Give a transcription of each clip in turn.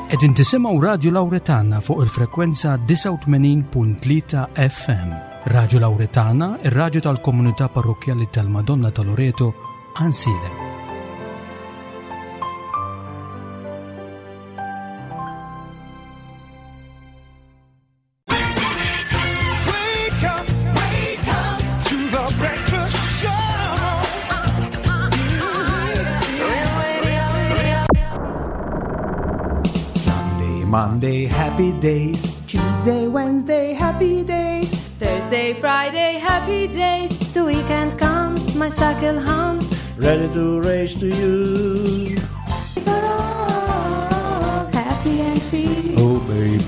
Qegħdin tisimgħu Radju Lawretana fuq il-frekwenza 89.3 FM. Radju Lawretana, ir-radju tal-komunità parrokkjali tal-Madonna ta' Loreto, Għansielem. Sunday, Monday, happy days. Tuesday, Wednesday, happy days. Thursday, Friday, happy days. The weekend comes, my cycle hums. Ready to race to you. These are all happy and free. Oh, baby.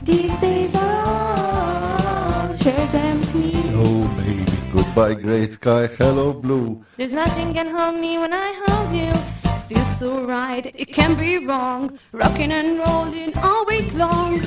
These days are all share them with me. Oh, baby. Goodbye, gray sky. Hello, blue. There's nothing can harm me when I hold you. Feels so right, it can't be wrong. Rocking and rolling all week long.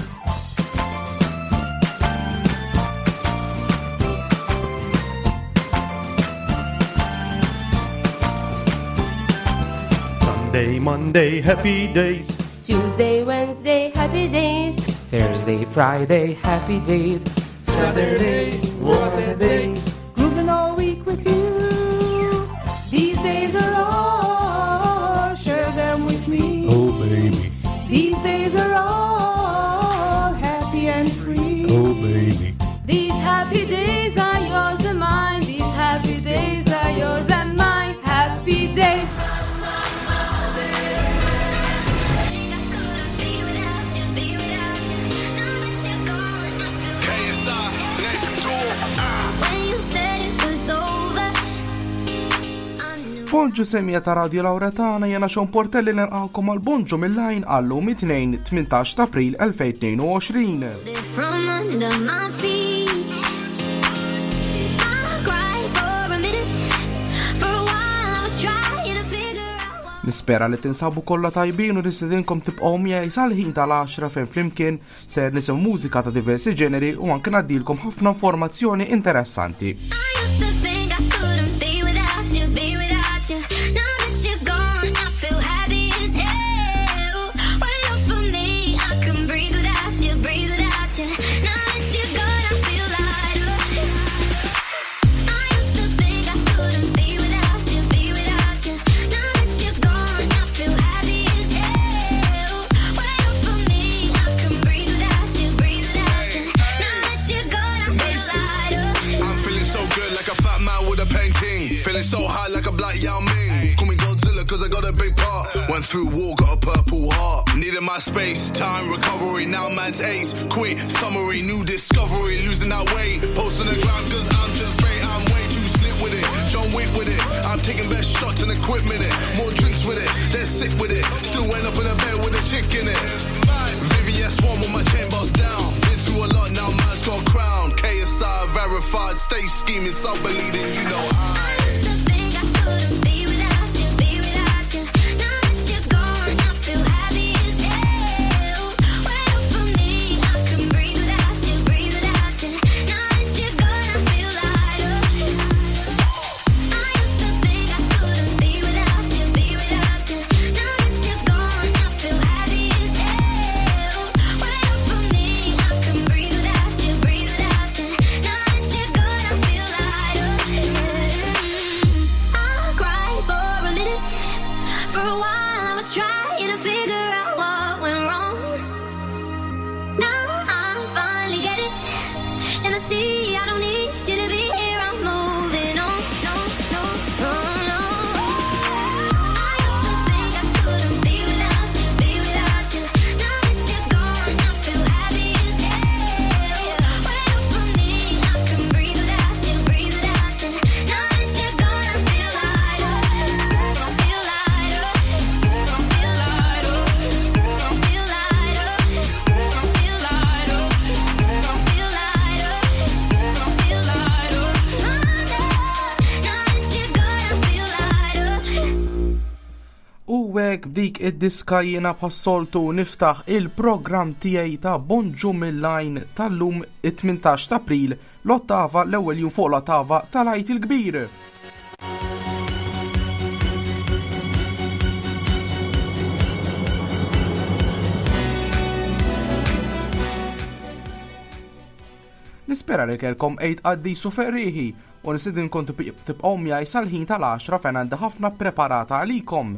Sunday, Monday, happy days. Tuesday, Wednesday, happy days. Thursday, Friday, happy days. Saturday, what a day. Grooving all week with you. These days are all, share them with me. Oh, baby. These days are all happy and free. Oh, baby. These happy days are yours and mine. These happy days are yours and mine. Happy days. Bonġu semija ta' Radio Lauretana jena Sean Portelli nilqakom għal Bonġu mill-lajn għallum it-tnejn 18 ta' April 2022. From under my feet, I cried for a minute. For a while, I was trying to figure out what. Nispera li tinsabu kollha tajbin u nistedinkom tibqgħu miegħi sal-ħin tal-10 fejn flimkien ser nisimgħu mużika ta' diversi ġeneri u anke ngħaddilkom ħafna informazzjoni interessanti. I used to think I couldn't be without you, be without you. Now that you're gone, I feel happy as hell. When you're for me, I can breathe without you, breathe without you. Now that you're gone, I feel lighter. I used to think I couldn't be without you, be without you. Now that you're gone, I feel happy as hell. When you're for me, I can breathe without you, breathe without you. Now that you're gone, I feel lighter. I'm feeling so good like a fat man with a painting. Feeling so high like a black Yao Ming. Call me Godzilla cause I got a big part. Went through war, got a purple heart. Needed my space, time, recovery. Now man's ace. Quick summary, new discovery. Losing that weight. Post on the ground cause I'm just great. I'm way too slick with it. John Wick with it. I'm taking best shots and equipment it. More drinks with it. They're sick with it. Still end up in a bed with a chick in it. VVS one with my chain bust down. Been through a lot now, man's got a crown. KSI verified, stay scheming, some believing, you know I. used to think I couldn't be without you, be without you. Now that you're gone, I feel happy as hell. When you're for me, I can breathe without you, breathe without you. Now that you're gone, I feel lighter. I used to think I couldn't be without you, be without you. Now that you're gone, I feel happy as hell. When you're for me, I can breathe without you, breathe without you. Now that you're gone, I feel lighter. I cried for a minute. For a while, I was trying to figure out what went wrong. Now I finally get it, and I see I don't need you to be here. I'm moving on. No, no, no, no. I used to think I couldn't be without you, be without you. Now that you're gone, I feel happy as hell. When you're for me, I can breathe without you, breathe without you. Now that you're gone, I feel lighter, feel lighter, feel lighter, feel lighter, feel lighter, feel lighter, feel lighter. Now that you're gone, I feel lighter. U hekk b'dik id-diska jiena bħas-soltu niftaħ il-programm tiegħi ta' Bonġu mill-lajn tal-lum it-18 ta' April l-ottava l-ewwel jum fuq l-ottava tal-Għid il-Kbir. Nispera li kellkom Għid qaddis u ferrieħi u nistidinkom tibqgħu miegħi sal-ħin tal-għaxra fejn għandi ħafna ppreparata għalikom.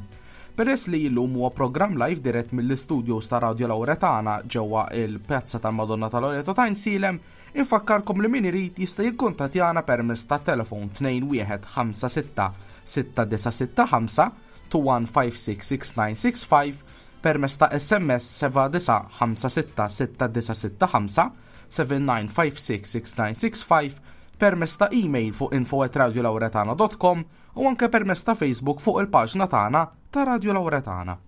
Peress li illum huwa programm live dirett mill-istudios ta' Radio Lauretana ġewwa il-Pjazza tal-Madonna ta' Loreto ta' Għajnsielem, infakkarkom li min irid jista' jikkuntattjana permezz ta' telefon 2156 6965 21566965 permezz ta' SMS 7956 6965 79566965 permezz ta' email fuq info@radiolauretana.com u anke permezz ta' Facebook fuq il-paġna tagħna ta' Radio Lauretana.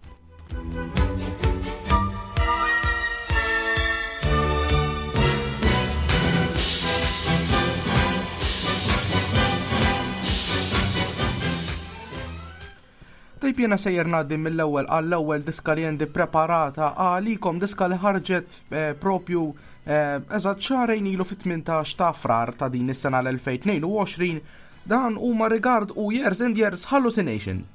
Tajb jiena sejjer ngħaddi mill-ewwel għall-ewwel diska li għandi preparata għalikom diska li ħarġet eh, propju eh, eżatt xahrejn ilu fit-18 ta' frar ta' din is-sena l-2022 dan huma Regard u Years and Years Hallucination.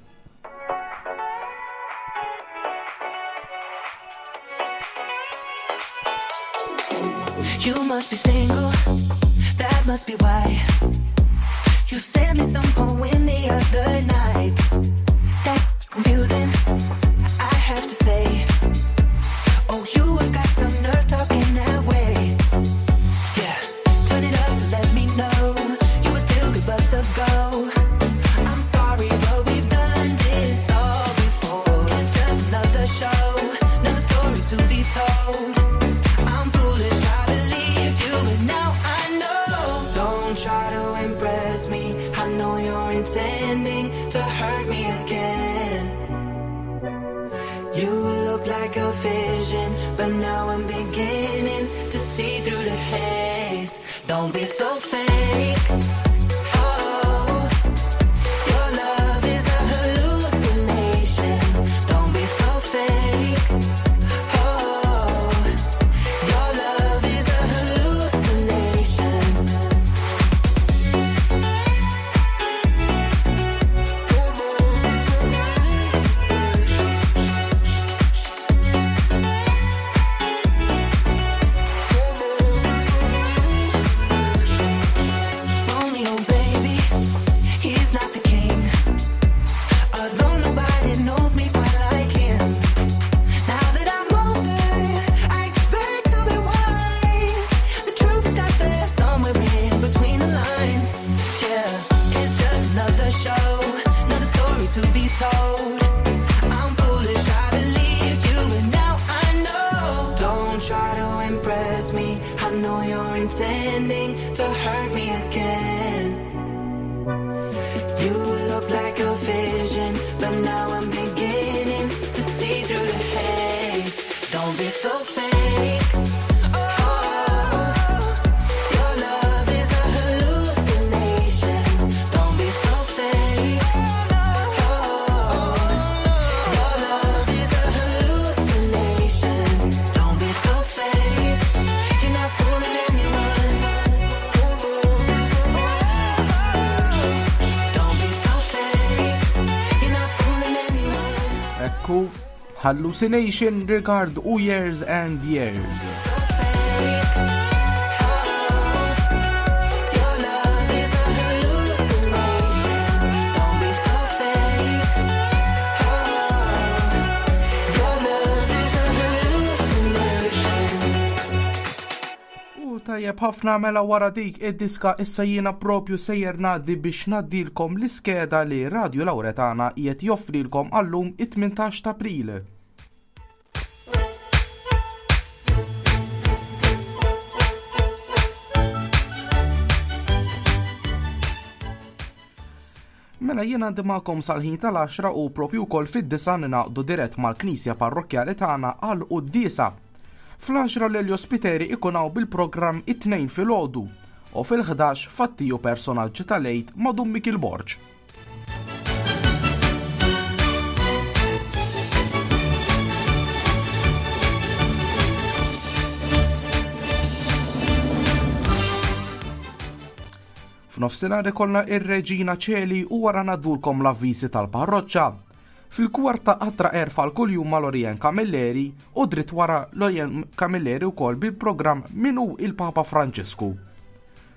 You must be single, that must be why. You sent me some poem the other night. That confusing, I have to say. Oh, you have got some nerve talking that way. Yeah, turn it up to let me know you would still give us a go. I'm sorry, but we've done this all before. It's just another show, another story to be told. I'm foolish, I believed you, but now I know. Don't try to impress me. I know you're intending to hurt me again. You look like a vision, but now I'm beginning to see through the haze. Don't be so fake. Oh, your love is a hallucination. Don't be so fake. Oh, your love is a hallucination. Romeo, baby, he's not the king. Although nobody knows me quite like him. Now that I'm older, I expect to be wise. The truth is out there somewhere in between the lines. Yeah, it's just another show, another story to be told. I'm foolish, I believed you, but now I know. Don't try to impress me. I know you're intending to hurt me again. You look like a vision, but now I'm beginning to see through the haze. Don't be so fake. Oh, your love is a hallucination. Don't be so fake. Oh, your love is a hallucination. Don't be so fake. You're not fooling anyone. Don't be so fake. You're not fooling anyone. Ekku, Hallucination, Regard u Years and Years. Your love is a hallucination. Don't be so fake. Oh, your love is a hallucination. U tajjeb ħafna mela wara dik id-diska issa jiena propju sejjer ngħaddi biex ngħaddilkom l-iskeda li Radio Lauretana qiegħed joffrilkom għallum it-18 ta' April. Mela jiena għandi magħkom sal-ħin tal-10 u propju wkoll fid-disa ninaqdu dirett mal-Knisja Parrokkjali tagħna għal quddiesa. Fl-10 l Spiteri ikun hawn bil-programm it-tnejn filgħodu u fil-11 fattiju personaġġi tal-Għid ma' Dun Mikil Borg. F'nofsinhar ikollna ir-Reġina Ċeli u wara ngħaddulkom l-avviżi tal-parroċċa. Fil-kwarta qatra erfa l kuljum ma' Lorien Camilleri u dritt wara Lorien Camilleri wkoll bil-programm Min hu il-Papa Franġisku.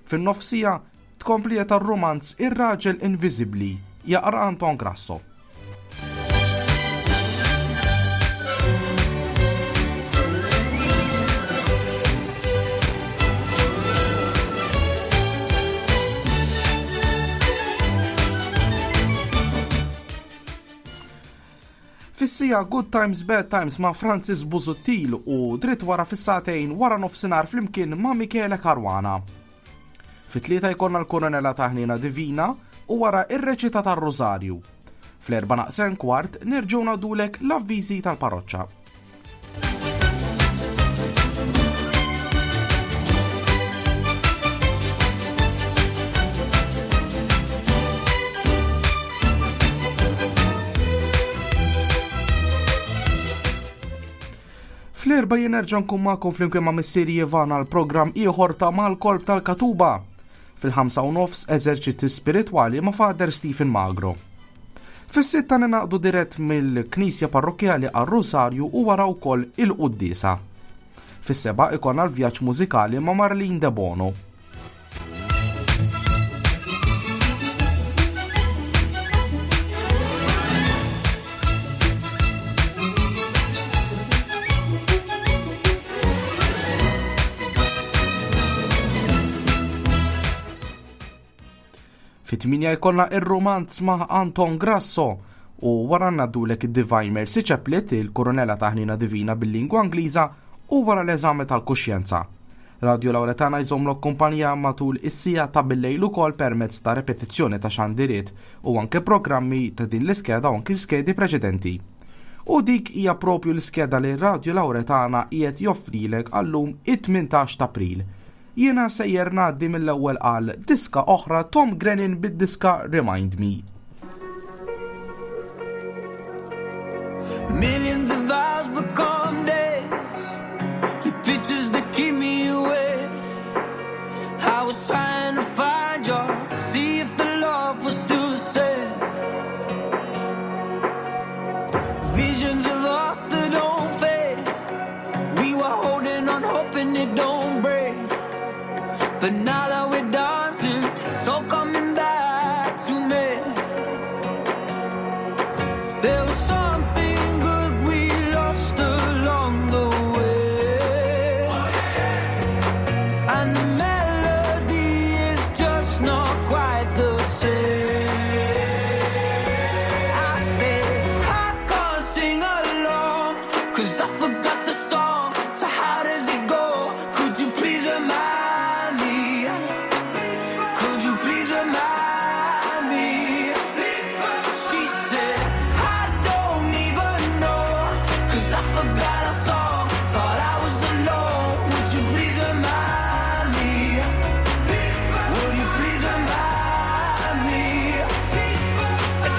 Fin-nofsija, tkomplija tar-rumanz Ir-Raġel Inviżibbli, jaqra Anton Grasso. Fis-siegħa Good Times Bad Times ma' Francis Busuttil u dritt wara fis-sagħtejn wara nofsinhar flimkien ma' Michele Caruana. Fit-tlieta jkollna l-Koronella ta' Ħniena Divina u wara ir-reċita tar-Rużarju. Fl-erba' naqsen kwart nerġgħu ngħaddulek l-avviżi tal-parroċċa. Fl-erba jien nerġa' nkun magħkom flimkien ma' missieri Ivan għal programm ieħor ta' Mal-Kolb tal-Katuba. Fil-5 u nofs eżerċizzji spiritwali ma' Father Stephen Magro. Fis-sitta ninaqdu dirett mill-Knisja Parrokkjali għar-Rusarju u wara wkoll il-quddiesa. Fis-seba' ikollna l-vjaġġ mużikali ma' Marlene Debono. Fit-8 jkollna ir-romanz ma' Anton Grasso u wara ngħaddulek id-Divine Mercy Chaplet, il-Koronella ta' Ħnina Divina bil-lingwa Ingliża u wara l-eżami tal-kuxjenza. Radio Lauretana jżommlok kumpanija matul is-sija ta' billejl ukoll permezz ta' repetizzjoni ta' xandiriet u anke programmi ta' din l-iskeda u anke skedi preċedenti. U dik hija propju l-iskeda li Radio Lauretana qiegħed joffrilek għallum it-18 ta' April. Jiena sejjer ngħaddi mill-ewwel għal diska oħra Tom Grennan bid-diska Remind Me. Millions of hours become days. Your pictures that keep me awake. I was trying to find you, to see if the love was still the same. Visions of us that don't fade. We were holding on, hoping it don't break. But now that we're dancing, it's all coming back to me. There was something good we lost along the way. And the melody is just not quite the same. I say, I can't sing along, 'cause I forgot the song. So how does it go? Could you please remind me? Could you please remind me? She said, I don't even know, 'cause I forgot our song, thought I was alone. Would you please remind me? Would you please remind me?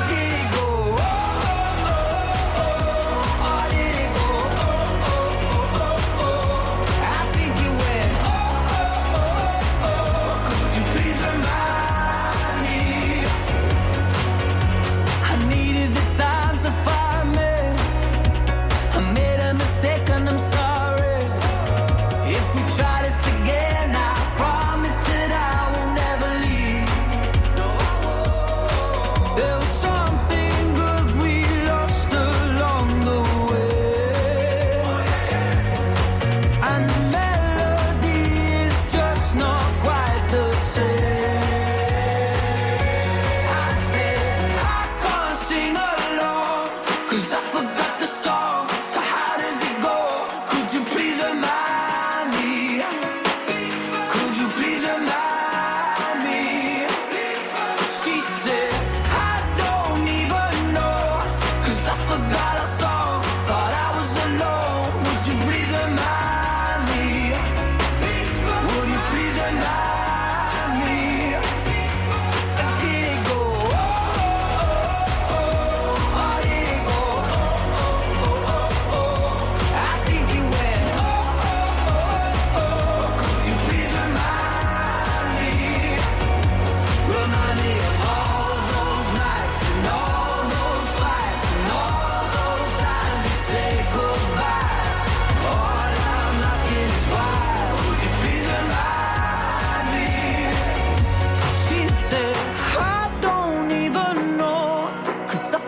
Did it go? Oh, oh, oh, oh, or did it go? Oh,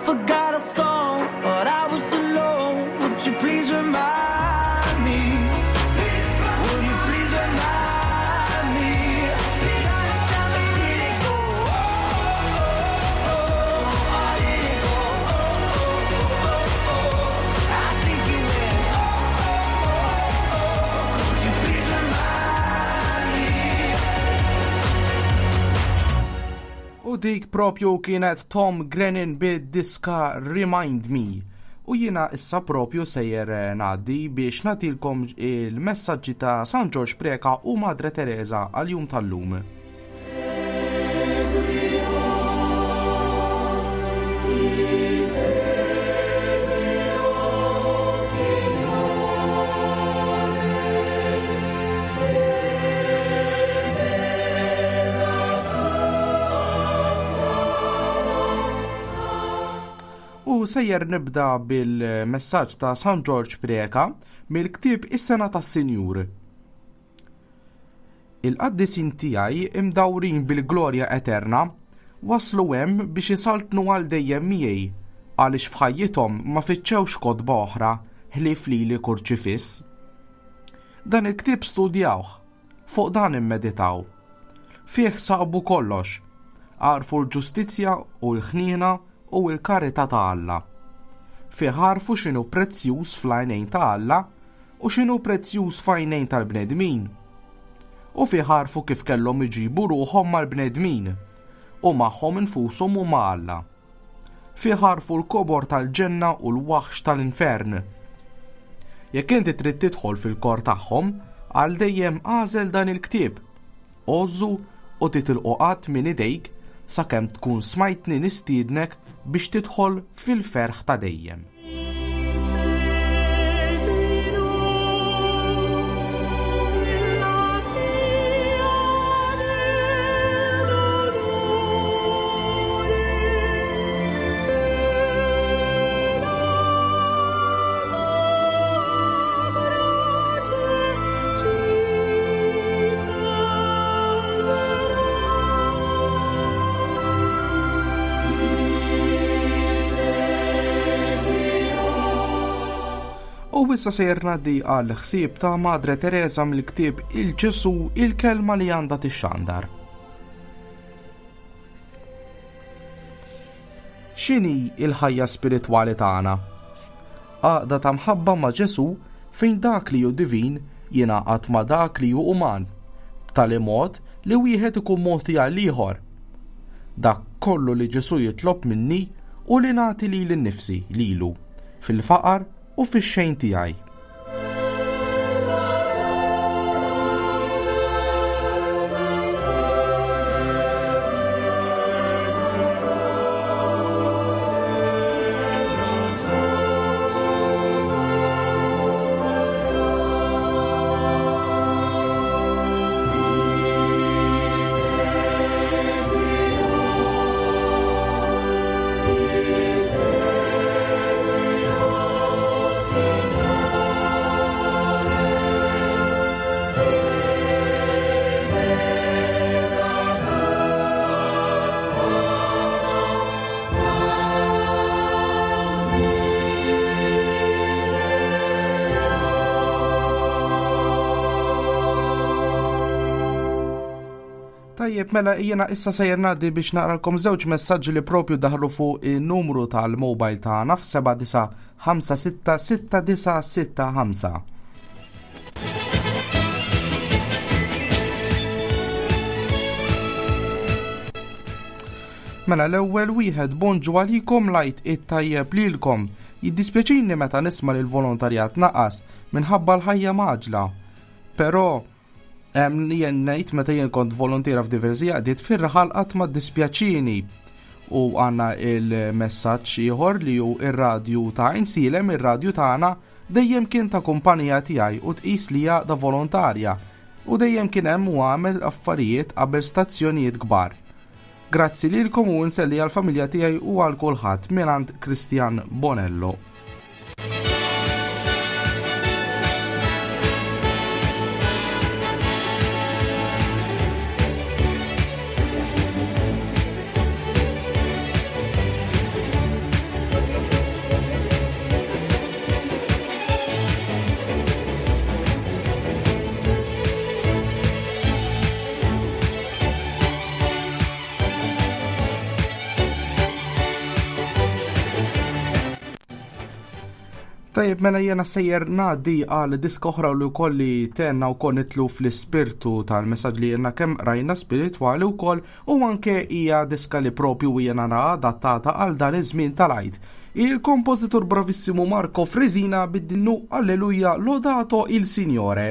forgot a song, thought I was alone. Would you please remind me? Would you please remind me? Darling, tell me, did it go? Oh, oh, oh, or did it go? Oh, oh, oh, oh, oh. I think it went. Oh, oh, oh, oh. Could you please remind me? U dik propju kienet Tom Grennan bid-diska Remind Me. U jiena issa propju sejjer ngħaddi biex nagħtilkom il-messaġġi ta' San Ġorġ Preca u Madre Teresa għal-jum tal-lum. U sejjer nibda bil-messaġġ ta' San Ġorġ Preca mill-ktieb Is-Sena tas-Sinjur. Il-qaddisin tiegħi imdawrin bil-glorja eterna waslu hemm biex isaltnu għal dejjem miegħi, għaliex f'ħajjithom ma fittxewx kotba oħra ħlief lili kurċifiss. Dan il-ktieb studjawh, fuq dan immeditaw. Fih sabu kollox, għarfu l-ġustizzja u l-ħniena u l-karità ta' Alla. Fih għarfu x'inhu prezzjuż fl-għajnejn ta' Alla u x'inhu prezzjuż f'għajnejn tal-bnedmin. U fih għarfu kif kellhom iġibu ruħhom mal-bnedmin u magħhom infushom u ma' Alla. Fih għarfu l-kobor tal-ġenna u l-waħx tal-infern. Jekk inti trid tidħol fil-kor tagħhom, għal dejjem għażel dan il-ktieb. Għożżu u titilqu qatt minn idejk sakemm tkun smajtni nistiednek biex tidħol fil-ferħ ta' dejjem. U issa sejjer ngħaddi għal ħsieb ta' Madre Teresa mill-ktieb Il-Ġesù, il-kelma li għandha tixxandar. X'inhi l-ħajja spiritwali tagħna? Għaqda ta' mħabba ma' Ġesù fejn dak li hu divin jingħaqad ma' dak li hu uman, b'tali mod li wieħed ikun mogħti għall-ieħor. Dak kollu li Ġesù jitlob minni hu li nagħti lili nnifsi lilu, fil-faqar u fix-xejn tiegħi. Tajjeb, mela jiena issa sejjer ngħaddi biex naqralkom żewġ messaġġi li propju daħlu fuq in-numru tal-mobile tagħna f'seba' disa' ħamsa sitta sitta disa' sitta ħamsa. Mela l-ewwel wieħed, bonġu għalikom, lajt it-tajjeb lilkom. Jiddispjaċini meta nisma' li l-volontarjat naqas minħabba l-ħajja mgħaġġla. Però jien ngħid meta jien kont volontiera f'diversi għaqdiet fir-raħal qatt ma ddispjaċini. U għandna il-messaġġ ieħor li hu ir-radju ta' Għajnsielem, ir-radju tagħna dejjem kien ta' kumpanija tiegħi u tqis li għaqda volontarja u dejjem kien hemm u għamel affarijiet qabel stazzjonijiet kbar. Grazzi lilkom u nselli għall-familja tiegħi u għal kulħadd mingħand Christian Bonello. Tajjeb, mela jena sejjer ngħaddi għal diska oħra li wkoll li tenna wkoll nitlu fl-ispirtu tal-messaġġ li jenna kemm rajna spiritwali wkoll u anke hija diska li propju jena nara adattata għal dan iż-żmien tal-Għid. Il-kompożitur bravissimu Marco Frisina bid-dinnu Alleluja Lodato il Signore.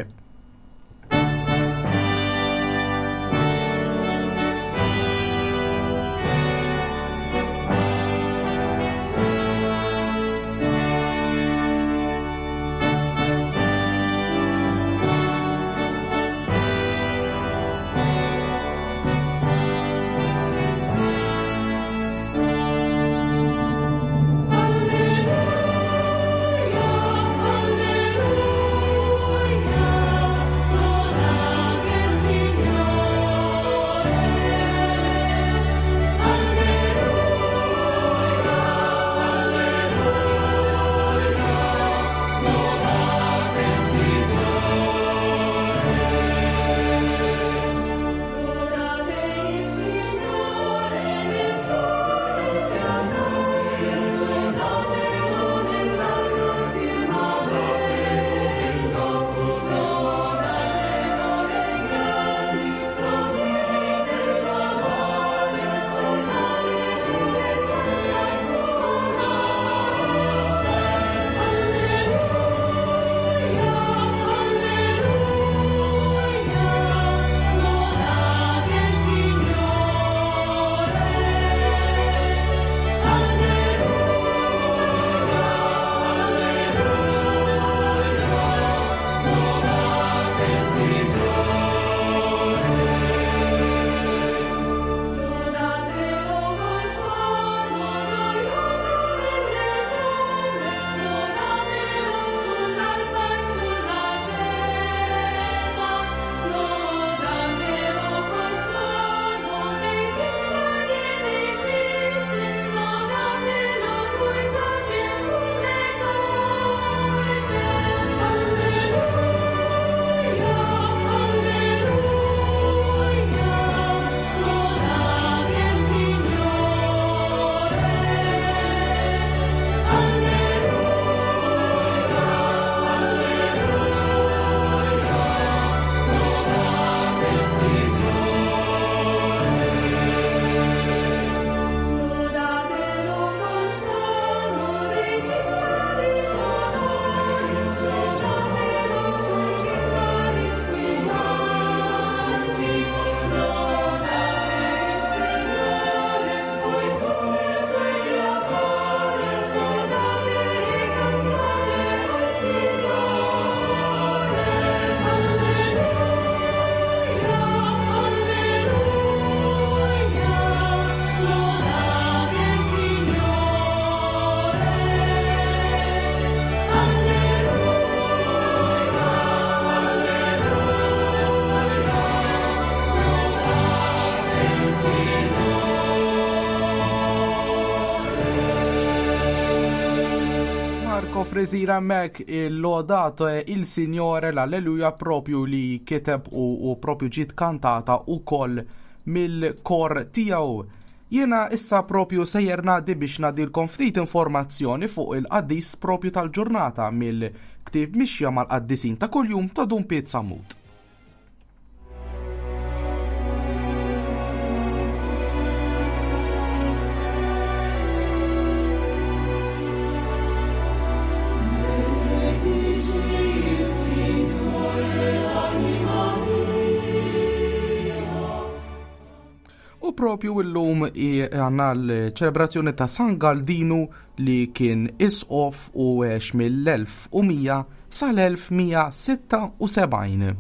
Frisira mek il-lodato e il Signore l-Alleluja propju li kiteb u propju ġiet kantata u koll mill-kor tiegħu. Jiena issa propju sejjer ngħaddi biex ngħaddilkom ftit informazzjoni fuq il-qaddis propju tal-ġurnata mill-ktieb Mixja mal-Qaddisin ta' Kuljum ta' Dun Piet Sammut. U propju illum għandna l-ċelebrazzjoni ta' San Galdinu li kien isqof u għex mill-1100 sal-1176.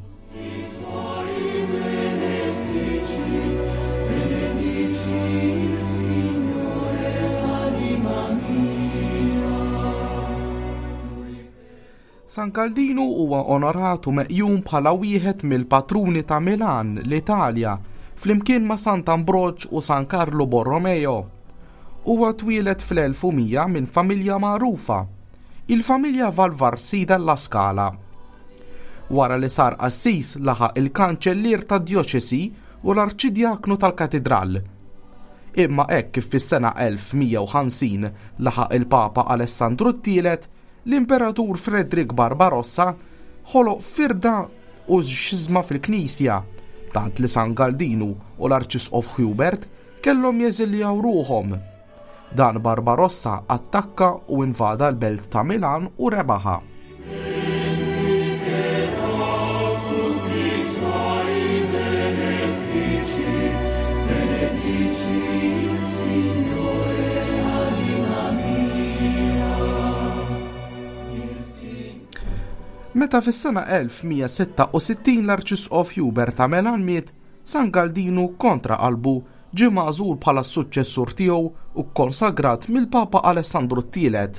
San Galdinu huwa onorat u meqjum bħala wieħed mill-patruni ta' Milan, l-Italja, flimkien ma' Sant'Ambroġ u San Karlu Borromeo. Huwa twieled fl-1100 minn familja magħrufa, il-familja Valvarsi della Scala. Wara li sar qassis laħaq il-kanċellier tad-djoċesi u l-arċidjaknu tal-katidral. Imma hekk kif fis-sena 1150 laħaq il-Papa Alessandru t-Tielet, L-Imperatur Frederick Barbarossa ħoloq firda u xiżma fil-Knisja, tant li San Galdinu u l-Arċisqof Hubert kellhom jeżiljaw ruħhom. Dan Barbarossa attakka u invada l-belt ta' Milan u rebaħha. Meta fis-sena 1166 l-Arċisqof Hubert ta' Melan miet, San Galdinu kontra qalbu ġie magħżul bħala s-suċċessur tiegħu u kkonsagrat mill-Papa Alessandru t-Tielet.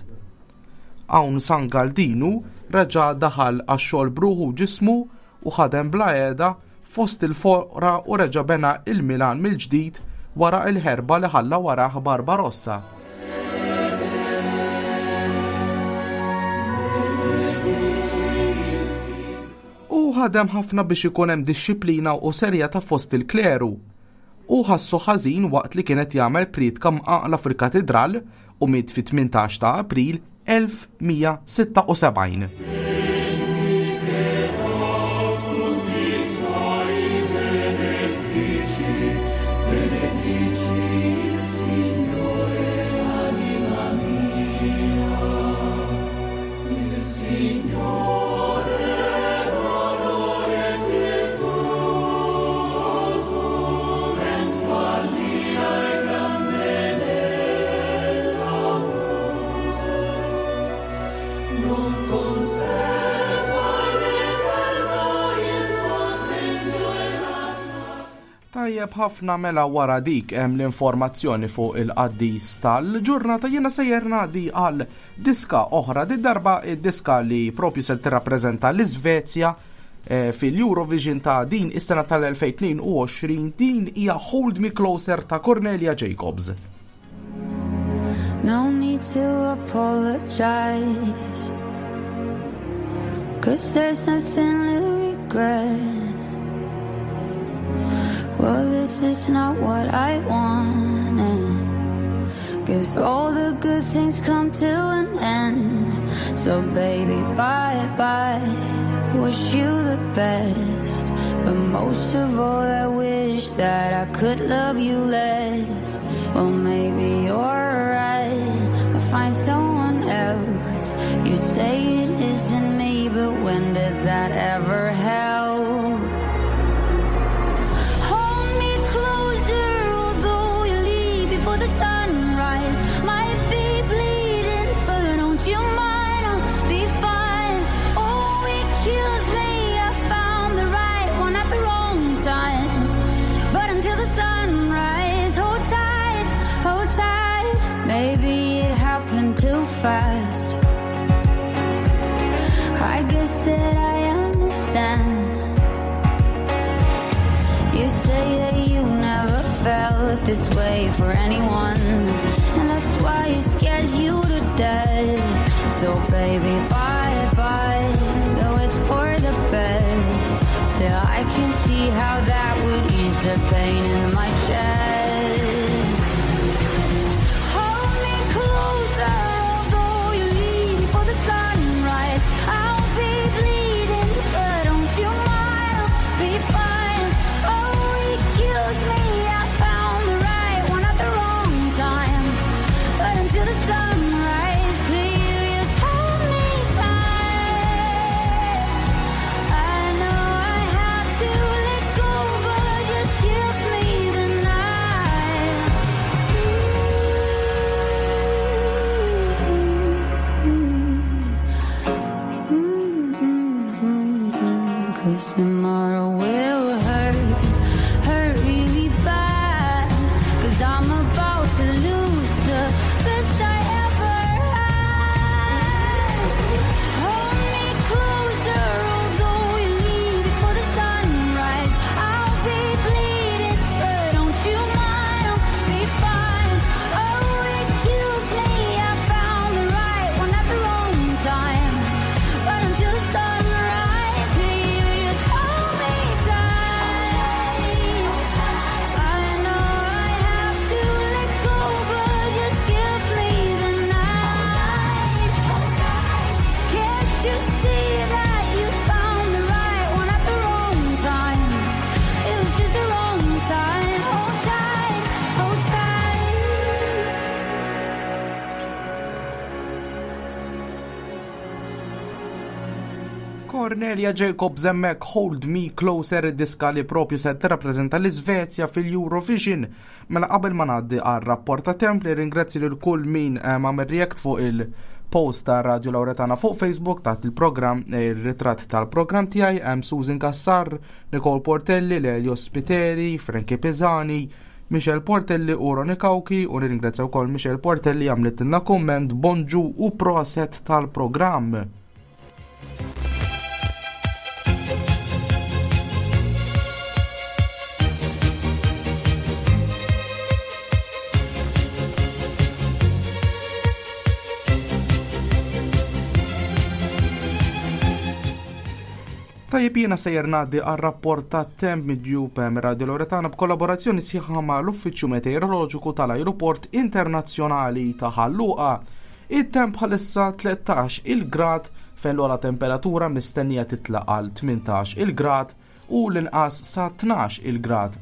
Hawn San Galdinu reġa' daħal għax-xogħol b'ruħu u ġismu u ħadem bla heda fost il-foqra u reġa' bena il-Milan mill-ġdid wara l-ħerba li ħalla warah Barbarossa. Hu ħadem ħafna biex ikun hemm dixxiplina u serjetà fost il-kleru. Hu ħassu ħażin waqt li kien qed jagħmel prietka mqanqla fil-katidral u miet fit-18 ta' April 1176. Tajjeb ħafna mela wara dik hemm l-informazzjoni fuq il-qaddis tal-ġurnata jiena sejjer ngħaddi għal diska oħra di darba id-diska li propju ser tirrappreżenta l-Iżvezja eh, fil-Eurovision ta' din is-sena tal-2022 din hija Hold Me Closer ta' Cornelia Jacobs. No need to apologize Cause there's nothing to regret Well, this is not what I wanted Guess all the good things come to an end So baby, bye-bye Wish you the best But most of all I wish that I could love you less Well, maybe you're right I'll find someone else You say it isn't me But when did that ever help? Hold me closer, although you leave before the sunrise. Might be bleeding, but don't you mind? I'll be fine. Oh, it kills me. I found the right one at the wrong time. But until the sunrise, hold tight, hold tight. Maybe it happened too fast. I guess that I understand. You say that you never felt this way for anyone, and that's why it scares you to death. So baby, bye bye, though it's for the best. Still, I can see how that would ease the pain in my chest. Hold me closer, although you leave before the sunrise. I'll be bleeding, but don't you mind? I'll be fine. Oh, it kills me. I found the right one at the wrong time. But until the sunrise, could you just hold me tight? I know I have to let go, but just give me the night. Cornelia Jacobs hemmhekk Hold Me Closer id-diska li propju se tirrappreżenta l-Iżvezja fil-Eurovision. Mela qabel ma ngħaddi għar rapport ta' temp li ringrazzi lil kull min eh, għamel react fuq il-post ta' Radio Lauretana fuq Facebook taħt il-programm eh, il-ritratt tal-programm tiegħi hemm Susan Cassar, Nicole Portelli, Lelio Spiteri, Frankie Pisani, Michel Portelli u Ronnie Cauchi u nirringrazzja wkoll Michel Portelli għamlitilna kumment bonġu u proset tal-programm. Tajjeb jiena sejjer ngħaddi għar-rapport tat-temp miġjub mir-Radio Loretana b'kollaborazzjoni sħiħa ma' l-Uffiċċju Meteoroloġiku tal-Ajruport Internazzjonali ta' Ħal Luqa. It-temp bħalissa 13 il-grad fejn l-ogħla temperatura mistennija titla' għal 18 il-grad u l-inqas sa 12 il-grad.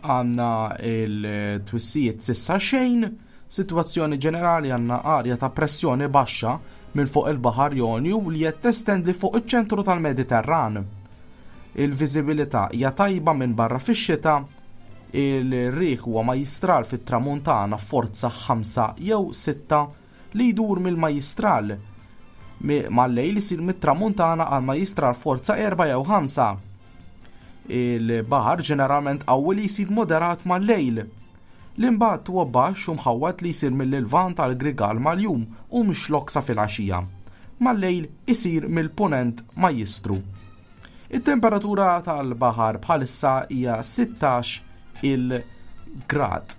Għandna il-twissijiet sissa xejn, sitwazzjoni ġenerali għandna arja ta' pressjoni baxxa minn fuq il-Baħar Jonju li qed testendi fuq iċ-ċentru tal-Mediterran. Il-viżibilità hija tajba minn barra fix-xita, il-riħ huwa majjistral fit-tramuntana forza 5 jew 6 li jdur mill-majjistral. Mal-lejl isir mit-tramuntana għal majjistral forza 4 jew 5. Il-baħar ġeneralment qawwi li jsir moderat mal-lejl. L-imbatt huwa baxx u mħawwad li jsir mill-Lvant għal Grigal mal-jum u mix-Xlokk sa filgħaxija. Mal-lejl isir mill-Punent majjistru. It-temperatura tal-baħar bħalissa hija 16 il-grad.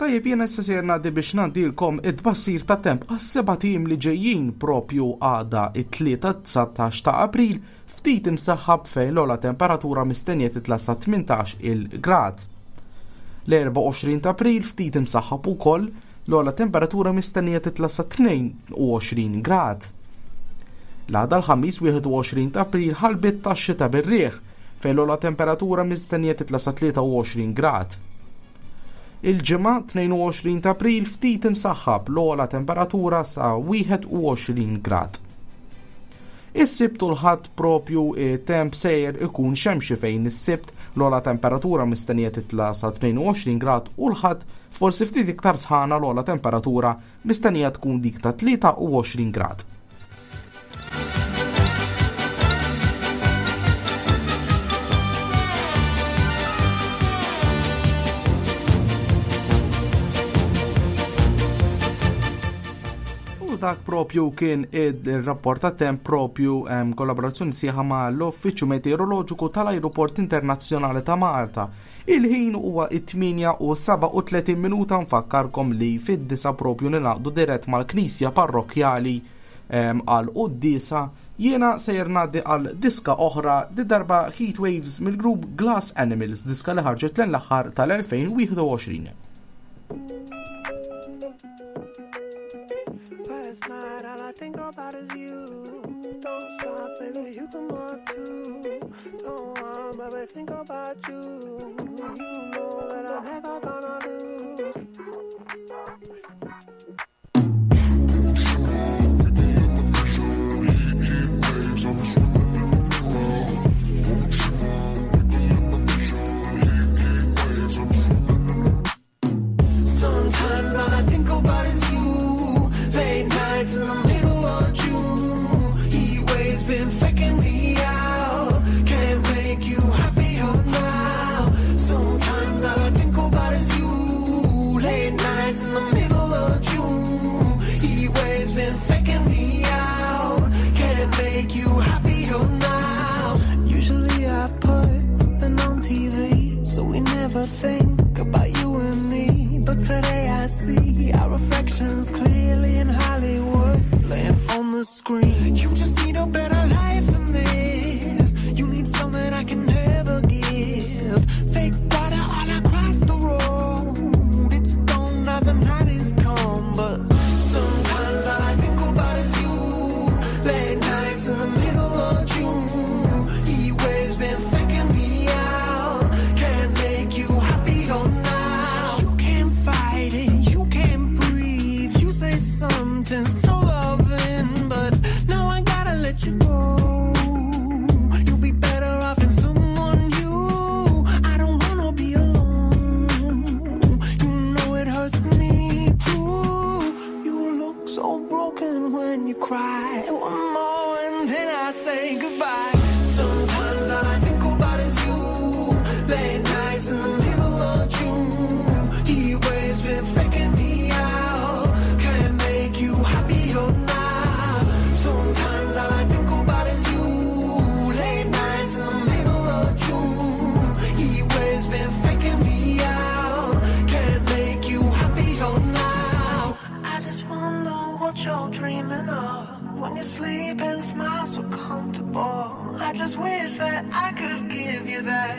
Tajjeb jiena issa sejjer ngħaddi biex ngħaddilkom it-tbassir ta' temp għas-seba' tim li ġejjin propju għada it-Tlieta 19 ta' April ftit imsaħħab fejn l-ogħla temperatura mistennija titla' sa 18 il-grad. L-24 ta' April ftit imsaħħab ukoll l-ogħla temperatura mistennija titla' sa 22 grad. L-għada l-Ħamis 21 ta' April ħalbiet tax-xita bir-riħ fejn l-ogħla temperatura mistennija titla' sa 23 grad. Il-Ġimgħa 22 ta' April ftit imsaħħab l-ogħla temperatura sa 21 grad. Is-Sibt u l-Ħadd propju temp sejjer ikun xemxi fejn is-Sibt l-ogħla temperatura mistennija titla' sa 22 grad u l-Ħadd forsi ftit iktar sħana l-ogħla temperatura mistennija tkun dik ta' 23 grad. dak propju kien il-rapport ta' temp propju kollaborazzjoni sieħa ma' l-Uffiċċju Meteoroloġiku tal-Ajruport Internazzjonali ta' Malta. Il-ħin huwa it-8 u 37 minuta nfakkarkom li fid-disa propju ninaqdu dirett mal-Knisja Parrokkjali għal quddiesa jiena sejjer ngħaddi għal diska oħra di darba Heat Waves mill-grupp Glass Animals, diska li ħarġet l aħħar tal-2021. Last night, all I think about is you. Don't stop, baby, you come on too. Don't want, baby, think about you. You know that I'm never gonna lose. Sometimes all I think about is you. Late nights in the middle of June. Heat waves been faking me out. Can't make you happier now. Sometimes all I think about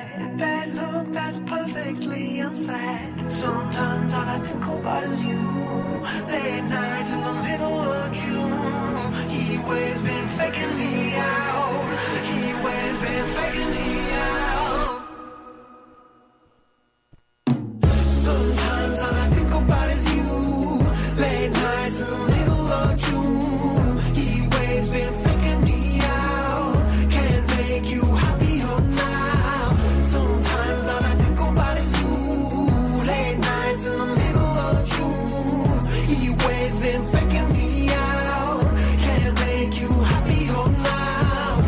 that bad look that's perfectly unsaid. Sometimes all I think about is you. Late nights in the middle of June. He waves been faking me out. He waves been faking me out. Sometimes all I think about is you. Late nights in the middle of June. He waves been faking me out. Can't make you happier now. Sometimes all I think about is you. Late nights in the middle of June. He waves been faking me out. Can't make you happier now.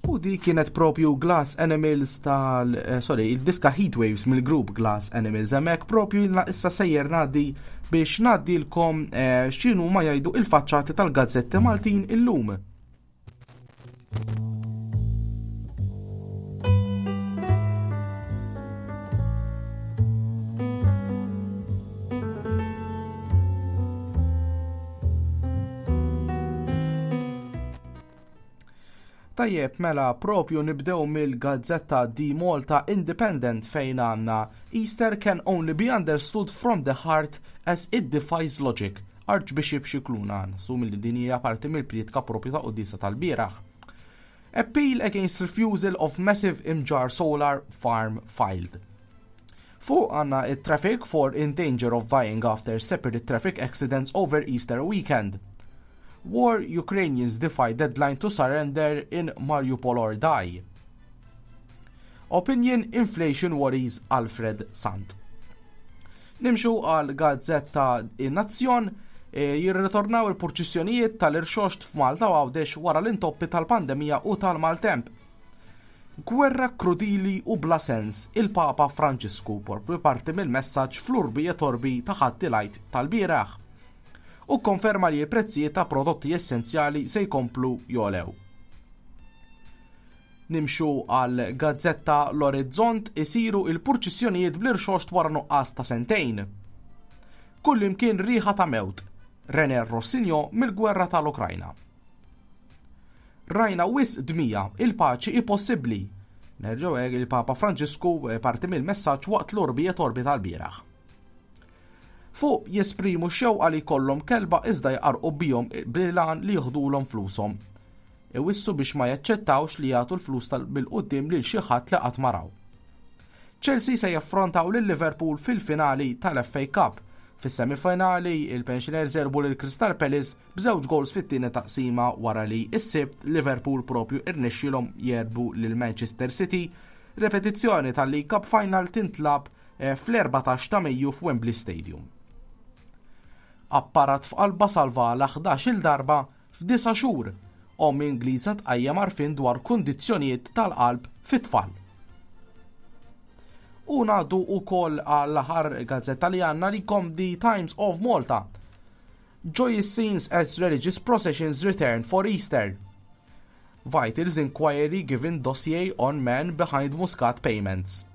U di kienet propju Glass Animals tal... Eh, sorry, il-diska Heatwaves mill-grupp Glass Animals. Hemmhekk propju jilna issa sejjer ngħaddi biex ngħaddilkom eh, x'inhu ma jgħidu il-faċċati tal-gazzetti Maltin illum. Tajjeb, mela propju nibdew mill-gazzetta di Malta Independent fejn għandna Easter can only be understood from the heart as it defies logic. Archbishop Scicluna, nassumi li din hija parti mill-prietka propju ta' quddiesa tal-bieraħ. Appeal against refusal of massive Imġarr solar farm filed. Fuq għandna it-traffic for in danger of dying after separate traffic accidents over Easter weekend. War Ukrainians defy deadline to surrender in Mariupol or die. Opinion Inflation Worries Alfred Sant. Nimxu għal gazzetta In-Nazzjon e, jirritornaw il-purċissjonijiet tal-irxoxt f'Malta u Għawdex wara l-intoppi tal-pandemija u tal-maltemp. Gwerra krudili u bla sens, il-Papa Franġisku propju parti mill-messaġġ fl-urbi et orbi ta' Ħadd il-Għid tal-bieraħ. U kkonferma li l-prezzijiet ta' prodotti essenzjali se jkomplu jogħlew. Nimxu għal gazzetta L-Orizzont isiru il-purċissjonijiet bl-irxoxt wara nuqqas ta' sentejn. Kullimkien riħa ta' mewt. René Rossigno mill-gwerra tal-Ukrajna. Rajna wisq dmija, il-paċi hi possibbli. Nerġgħu hekk il-Papa Franġisku eh, parti mill-messaġġ waqt l-orbi et orbi tal-bieraħ. Fuq jesprimu x-xewqa li jkollhom kelba iżda jqarrqu bihom bil-għan li jieħdulhom flushom. Iwissu biex ma jaċċettawx li jagħtu l-flus bil-quddiem lil xi ħadd li qatt ma raw. Chelsea se jaffrontaw lil Liverpool fil-finali tal-FA Cup. Fis-semifinali, il-Pensioners għelbu lil Crystal Palace b'żewġ goals fit-tieni taqsima wara li s-Sibt Liverpool propju irnexxielhom jegħlbu lil Manchester City. Repetizzjoni tal-League Cup Final tintlagħab eh, fl-14 ta' Mejju f'Wembley Stadium. Apparat f'qalba salvala 11-il darba f'disa' xhur. Omm Ingliża tqajjem għarfien dwar kundizzjonijiet tal-qalb fit-tfal. U ngħaddu wkoll għall-aħħar gazzetta li għandna li kom The Times of Malta. Joyous scenes as religious processions return for Easter. Vitals inquiry given dossier on man behind Muscat payments.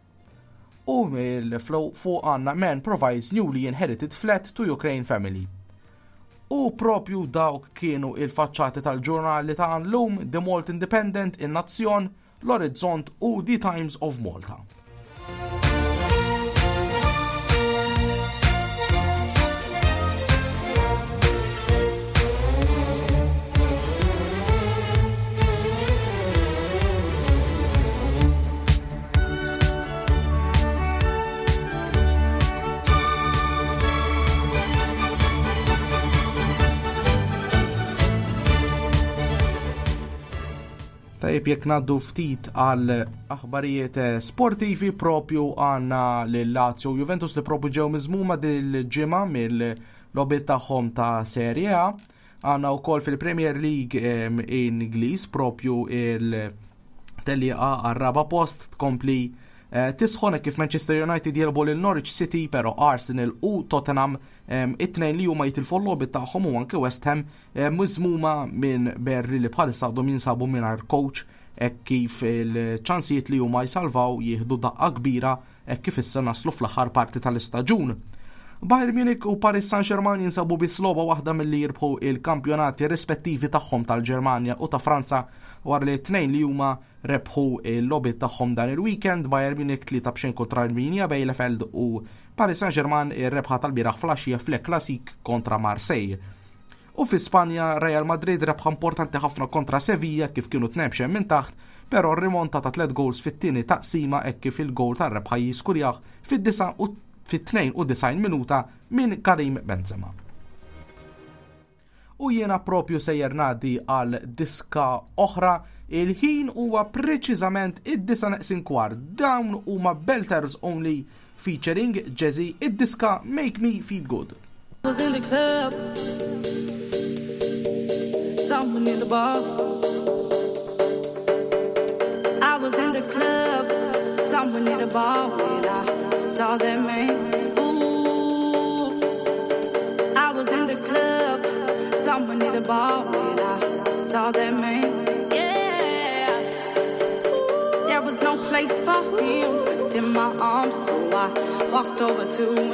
U mill-flow fuq għandna man provides newly inherited flat to Ukraine family. U propju dawk kienu il-faċċati tal-ġurnali ta' llum The Malt Independent, In-Nazzjon, L-Orizzont u The Times of Malta. Tajjeb jekk ngħaddu ftit għal aħbarijiet eh, sportivi propju għandna lil Lazio u Juventus li propju ġew miżmuma dil-ġimgħa mill-logħbiet tagħhom ta' Serie A. Għandna wkoll fil-Premier League Ingliż propju il- Tellieqa għar-raba' post tkompli eh, tisħon kif Manchester United jelbu lil Norwich City però Arsenal u Tottenham it-tnejn li huma jitilfu l-logħbiet tagħhom u anke West Ham miżmuma minn Berri li bħalissa għadhom jinsabu mingħajr coach hekk kif il-ċansijiet li huma jsalvaw jieħdu daqqa kbira hekk kif issa naslu fl-aħħar parti tal-istaġun. Bayern Munich u Paris Saint-Germain jinsabu biss logħba waħda milli jirbħu il-kampjonati rispettivi tagħhom tal-Ġermanja u ta' Franza wara li t-tnejn li huma rebħu l-logħbiet tagħhom dan il-weekend, Bayern Munich 3 b'xejn kontra Arminia Bielefeld u Paris Saint-Germain ir-rebħa tal-bieraħ flaxija fl Classique kontra Marseille. U fi Spanja, Real Madrid rebħa importanti ħafna kontra Sevilla kif kienu tnejn minn taħt, però rimonta ta' tliet goals fit-tieni taqsima hekk kif il-goal tar-rebħa jiskurjah fit-92 minuta minn Karim Benzema. U jiena propju sejjer ngħaddi għal diska oħra, il-ħin huwa preċiżament id-disa neqsin kwart. Dawn huma Belters Only featuring Jazzy id-diska Make Me Feel Good. Was in the club, someone in the bar. I was in the club, someone in the bar when I saw that man. Ooh, I was in the club, someone in the bar when I saw that man. Yeah, there was no place for him in my arms, so I walked over to him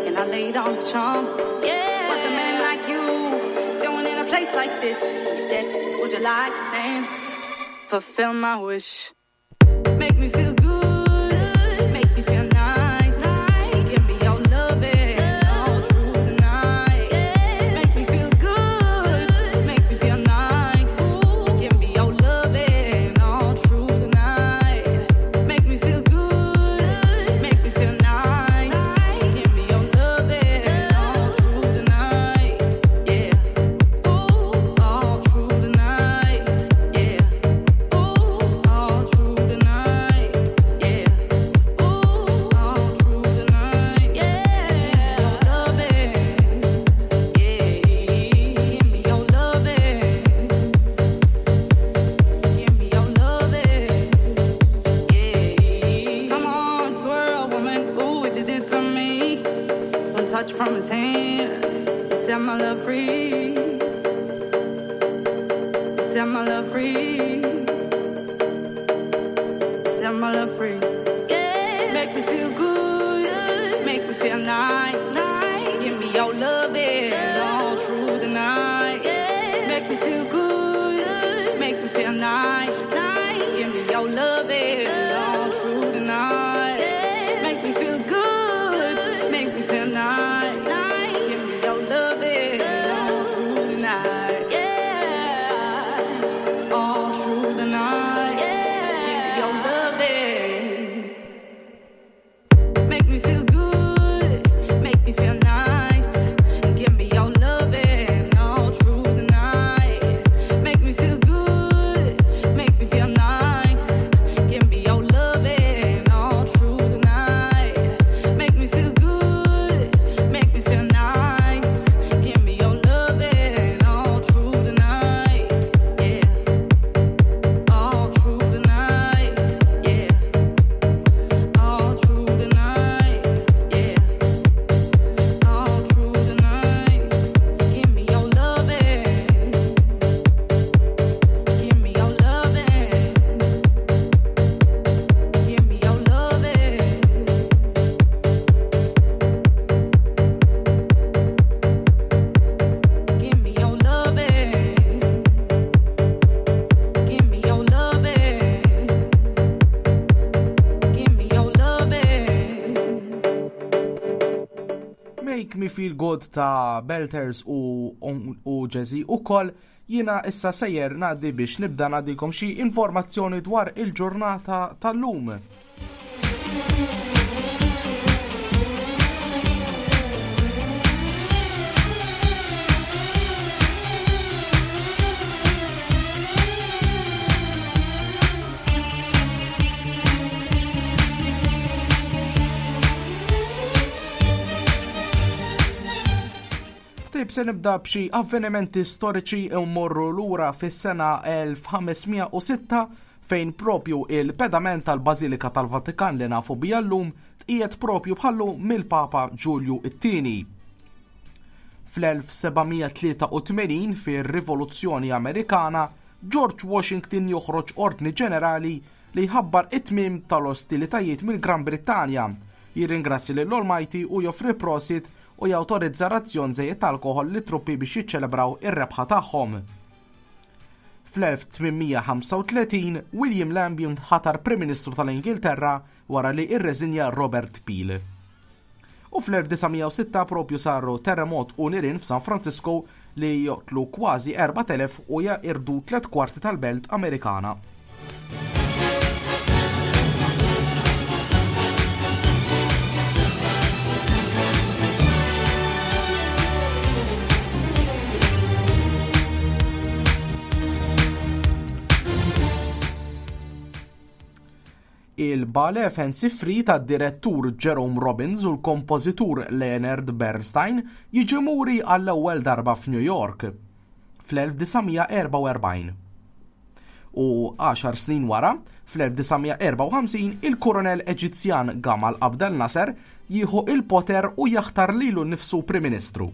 and I laid on the charm. Yeah, what's a man like you doing in a place like this? He said, Would you like to dance? Fulfill my wish. Make me feel good, make me feel nice. Give me your loving all through the night. Make me feel good, make me feel nice. Give me your loving all through the night. Make me feel good, make me feel nice. Give me your loving all through the night. Yeah, ooh, all through the night. Yeah, ooh, all through the night. Yeah, ooh, all through the night. Yeah, loving. Yeah, give me your loving. Give me your loving. Yeah. Come on, twirl, woman. Ooh, what you did to me. One touch from his hand. Set my love free. Set my love free. Set my love free. Yeah. Make me feel good. Make me feel nice. Give me your loving all through the night. Make me feel good. Make me feel nice. Give me your loving all through the night. Make me feel good. Make me feel nice. Give me your loving all through the night. Yeah. All through the night. Give me your loving. Make me feel good, make me feel nice. Give me your loving all through the night. Make me feel good, make me feel nice. Give me your loving all through the night. Make me feel good, make me feel nice. Give me your loving all through the night. Yeah, all through the night. Yeah. All through the night, yeah. All through the night. Give me your loving. Give me your loving. Give me your loving. Give me your loving. Give me your loving. Give me your loving. Make Me Feel Good ta' Belters u, u Jazzy u koll jiena issa sejjer ngħaddi biex nibda ngħaddikom xi informazzjoni dwar il-ġurnata tal-lum. Tajb se nibda b'xi avvenimenti storiċi mmorru lura fis-sena 1506 fejn propju il-pedament tal-Bażilika tal-Vatikan li nafu bija llum tqiegħed propju bħallu mill-Papa Ġulju it-Tieni. Fl-1783 fir-Rivoluzzjoni Amerikana, George Washington joħroġ ordni ġenerali li jħabbar it-tmiem tal-ostilitajiet mill-Gran Brittanja, jirringrazzja lil Almighty u joffri prosit u jawtorizza razzjon żejjed ta' alkoħol lit-truppi biex jiċċelebraw ir-rebħa tagħhom. Fl-1835, William Lamb jinħatar Prim Ministru tal-Ingilterra wara li rreżinja Robert Peel. U fl-1906 propju saru terremot u nirien f'San Francisco li joqtlu kważi 4,000 u jaqirdu tlet kwarti tal-belt Amerikana. Il-ballet Fancy Free tad-direttur Jerome Robbins u l-kompożitur Leonard Bernstein jiġi muri għall-ewwel darba f'New York fl-1944. U għaxar snin wara, fl-1954, il-Kuronel Eġizzjan Gamal Abdel Nasser jieħu il-poter u jaħtar lilu nnifsu Prim Ministru.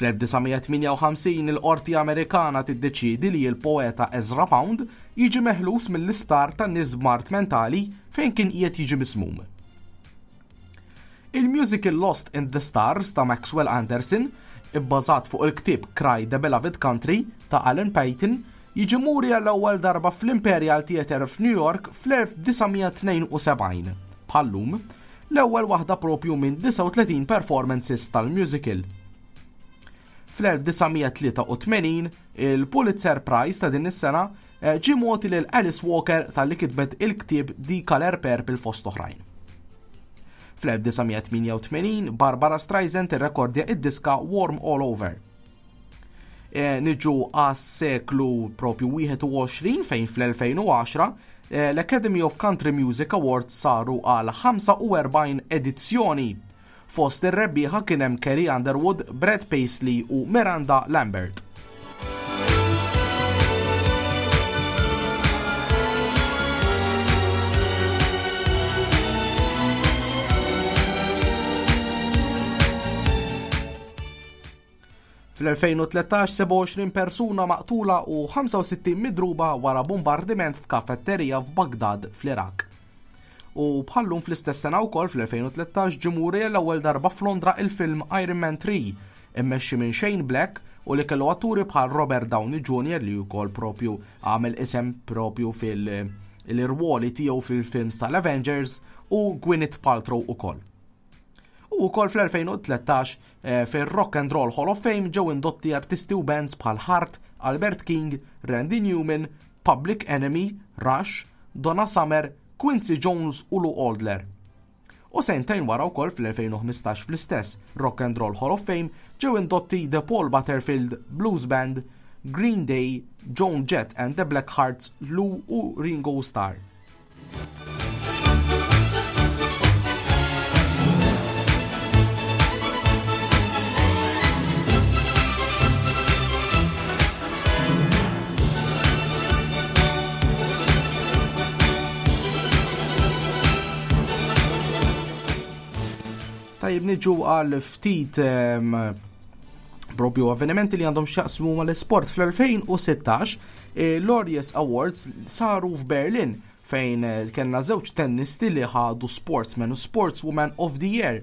Fl-1958 il-Qorti Amerikana tiddeċiedi li l-poeta Ezra Pound jiġi meħlus mill-isptar tan-nies b'mard mentali fejn kien qiegħed jiġi mismum. Il-musical Lost in the Stars ta' Maxwell Anderson, ibbażat fuq il-ktieb Cry the Beloved Country ta' Alan Payton, jiġi muri għall-ewwel darba fl-Imperial Theatre f'New York fl-1972. Bħal-lum, l-ewwel waħda propju minn 39 performances tal-musical. Fl-1983, il-Pulitzer Prize ta' din is-sena eh, ġie mogħti lil Alice Walker talli kitbet il-ktieb The Color Purple fost oħrajn. Fl-1988, Barbara Streisand irrekordja id-diska Warm All Over. Eh, niġu għas-seklu propju 21 fejn fl-2010 eh, l-Academy of Country Music Awards saru għal 45 edizzjoni. Fost ir-rebbieħa kien hemm Carrie Underwood, Brad Paisley u Miranda Lambert. Fl-2013 27 persuna maqtula u 65 midruba wara bombardiment f'kafetterija f'Bagdad fl-Iraq. U bħallum fl-istess sena wkoll fl-2013 ġie muri l-ewwel darba f'Londra il-film Iron Man 3 immexxi minn Shane Black u li kellu atturi bħal Robert Downey Jr. li wkoll propju għamel isem propju fil-irwoli tiegħu fil-films tal-Avengers u Gwyneth Paltrow ukoll. U wkoll fl-2013 eh, fir-Rock and Roll Hall of Fame ġew indotti artisti u bands bħal Heart, Albert King, Randy Newman, Public Enemy, Rush, Donna Summer, Quincy Jones u Lou Aldler. U sentejn wara wkoll fl-2015 fl-istess Rock and Roll Hall of Fame ġew indotti The Paul Butterfield Blues Band, Green Day, Joan Jett and the Black Hearts, Lou u Ringo Starr. Tajib niġu għal ftit ehm, propju avvenimenti li għandhom xaqsmu mal-sport fl-2016 eh, l-Laureus Awards saru f'Berlin fejn eh, kellna żewġ tennisti li ħadu Sportsman u Sportswoman of the Year.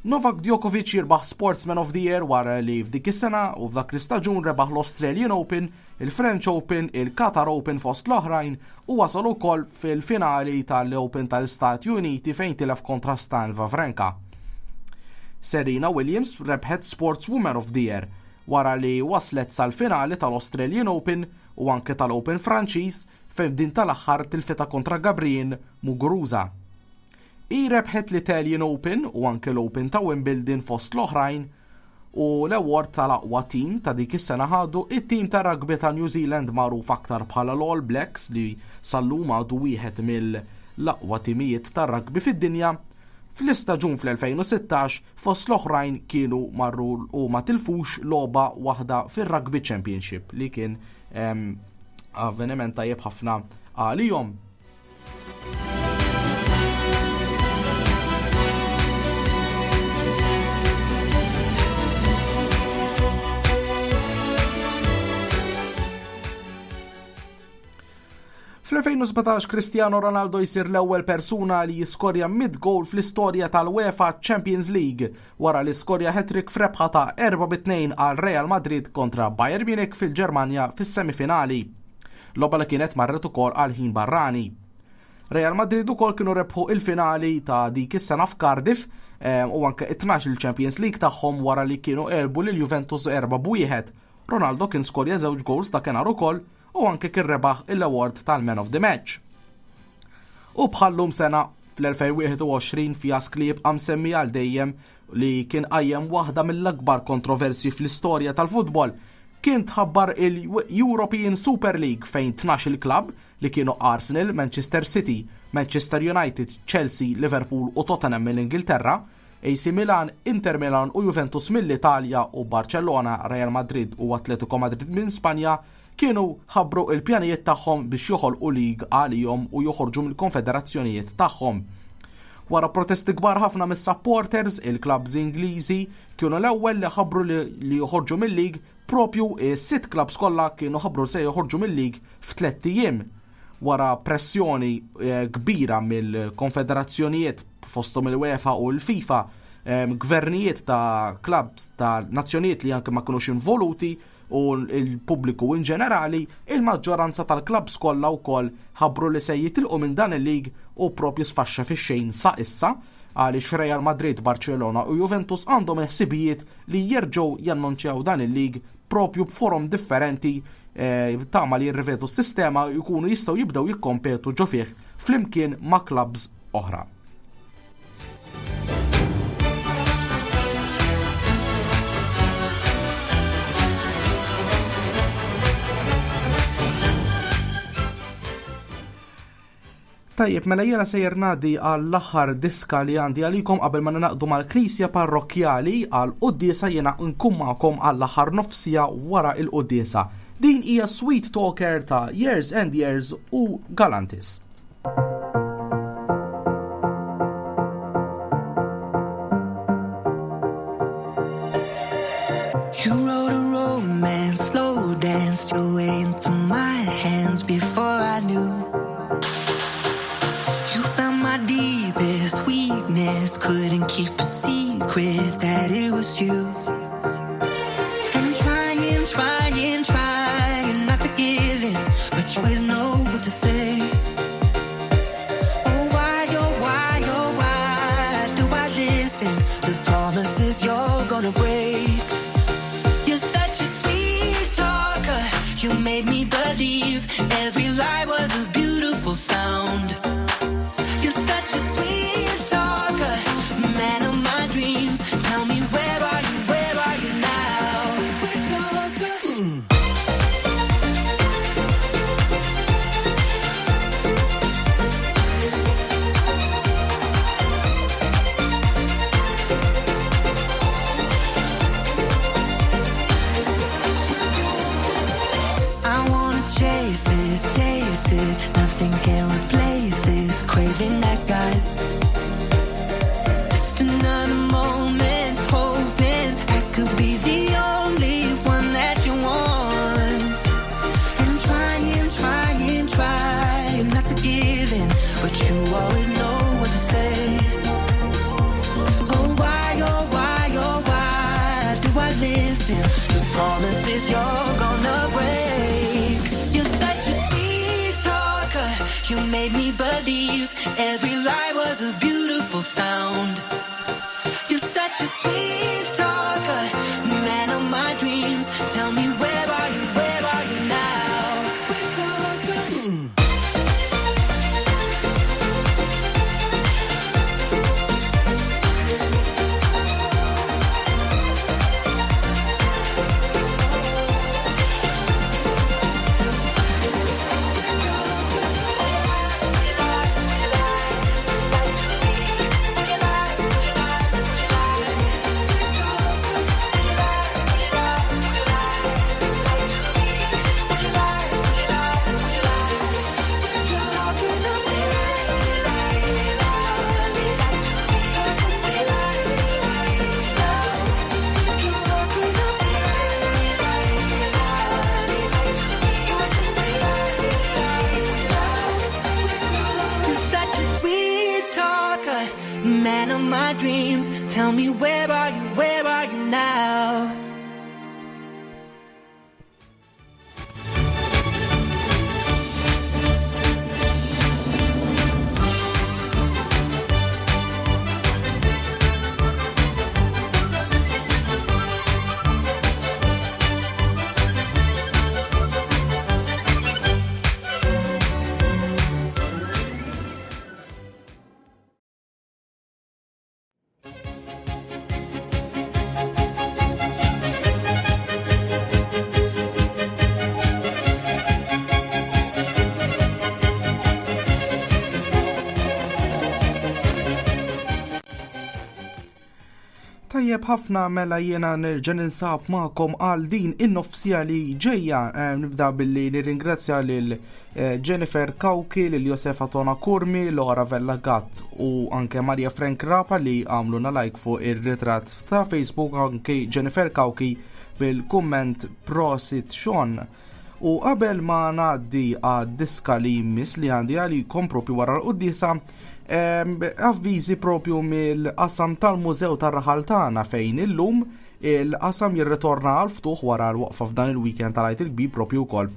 Novak Djokovic jirbaħ Sportsman of the Year wara li f'dik is-sena u f'dak l-istaġun rebaħ l-Australian Open, il-French Open, il-Qatar Open fost l-oħrajn u wasal ukoll fil-finali tal-Open tal-Istati Uniti fejn tilef kontra Stan Wawrinka. Serena Williams rebħet Sportswoman of the Year wara li waslet sal-finali tal-Australian Open u anke tal-Open Franċiż fejn din tal-aħħar tilfitha kontra Gabriel Muguruza. Hi rebħet l-Italian Open u anke l-Open ta' Wimbledon fost l-oħrajn u l-award tal-aqwa tim ta' dik is-sena ħadu it-tim ta' rugby ta' New Zealand magħruf aktar bħala l-All Blacks li sal-lum għadu wieħed mill-aqwa timijiet tar-rugby fid-dinja. Fl-istaġun fl-2016 fost l-oħrajn kienu marru u ma tilfux logħba waħda fir-Rugby Championship li kien avveniment tajjeb ħafna għalihom. Fl-2017 Cristiano Ronaldo jsir l-ewwel persuna li jiskorja 100 goal fl-istorja tal-UEFA Champions League wara li skorja hat-trick f'rebħa ta' 4-2 għal Real Madrid kontra Bayern Munich fil-Ġermanja fis-semifinali. Logħba li kienet marret ukoll għal ħin barrani. Real Madrid ukoll kienu rebħu il-finali ta' dik is-sena f'Cardiff eh, u anke it-12 il-Champions League tagħhom wara li kienu għelbu lil Juventus 4-1. Ronaldo kien skorja żewġ goals dakinhar ukoll u anke kien rebaħ il-award tal-Man of the Match. U bħallum sena fl-2021 fjask li jibqa' msemmi għal dejjem li kien qajjem waħda mill-akbar kontroversji fl-istorja tal-futbol kien tħabbar il-European Super League fejn 12 il-klabb li kienu Arsenal, Manchester City, Manchester United, Chelsea, Liverpool u Tottenham mill-Ingilterra, AC Milan, Inter Milan u Juventus mill-Italja u Barcellona, Real Madrid u Atletico Madrid minn Spanja kienu ħabbru l-pjanijiet tagħhom biex joħolqu league għalihom u joħorġu mill-konfederazzjonijiet tagħhom. Wara protesti kbar ħafna mis-supporters, il-clubs Ingliżi kienu l-ewwel li ħabbru li joħorġu mil-league propju is-sitt clubs kollha kienu ħabbru se joħorġu mil-league f'tlett ijiem wara pressjoni eh, kbira mill-konfederazzjonijiet fosthom il-UEFA u l-FIFA, eh, gvernijiet ta' clubs ta' nazzjonijiet li anke ma kinux involuti u l-pubbliku in ġenerali, il-maġġoranza tal-klabbs kollha wkoll ħabbru li se jitilqu minn dan il-lig u propju sfaxxa fix-xejn sa issa għaliex Real Madrid, Barcelona u Juventus għandhom il-ħsibijiet li jerġgħu jannunċjaw dan il-lig propju b'forom differenti eh, tama li jirrivedu s-sistema jkunu jistgħu jibdew jikkompetu ġo fih flimkien ma' klabbs oħra. Tajjeb, mela jiena sejjer ngħaddi għall-aħħar diska li għandi għalikom qabel ma naqdu mal-Knisja Parrokkjali għal quddiesa jiena nkun magħkom għall-aħħar nofsija wara il-quddiesa. Din hija Sweet Talker ta' Years and Years u Galantis. You wrote a romance, slow danced your way into my hands before I knew. You found my deepest weakness, couldn't keep a secret that it was you. And I'm trying, trying, trying not to give in, but you always know what to say. Oh, why, oh, why, oh, why do I listen to promises you're gonna break? You're such a sweet talker. You made me believe every lie was a beautiful sound. You're such a sweet talker, man of my dreams. Tell me where are you, where are you now? Sweet talker. I wanna chase it, taste it. Nothing can replace this craving I got. Just another moment, hoping I could be the only one that you want. And I'm trying, trying, trying not to give in, but you always know what to say. Oh why, oh why, oh why do I listen to promises you're gonna break? You're such a sweet talker. You made me believe every lie was a beautiful sound. You're such a sweet talker, man of my dreams. Tell me where are you, where are you now? Sweet talker. Tajjeb ħafna mela jiena nerġa' ninsab magħkom għal din in-nofsija li ġejja. Eh, nibda billi nirringrazzja lil eh, Jennifer Kawki, lil Josefa Tona Kurmi, Laura Vella Gatt u anke Maria Frank Rapa li għamluna like fuq ir-ritratt ta' Facebook anke Jennifer Kawki bil-kumment Prosit Sean. U qabel ma ngħaddi għad-diska li jmiss li għandi għalikom propju wara l-quddiesa, avviżi propju mill-qasam tal-Mużew tar-Raħal tagħna fejn illum il-qasam jirritorna għal ftuħ wara l-waqfa f'dan il-weekend tal-Għid il-Kbir propju wkoll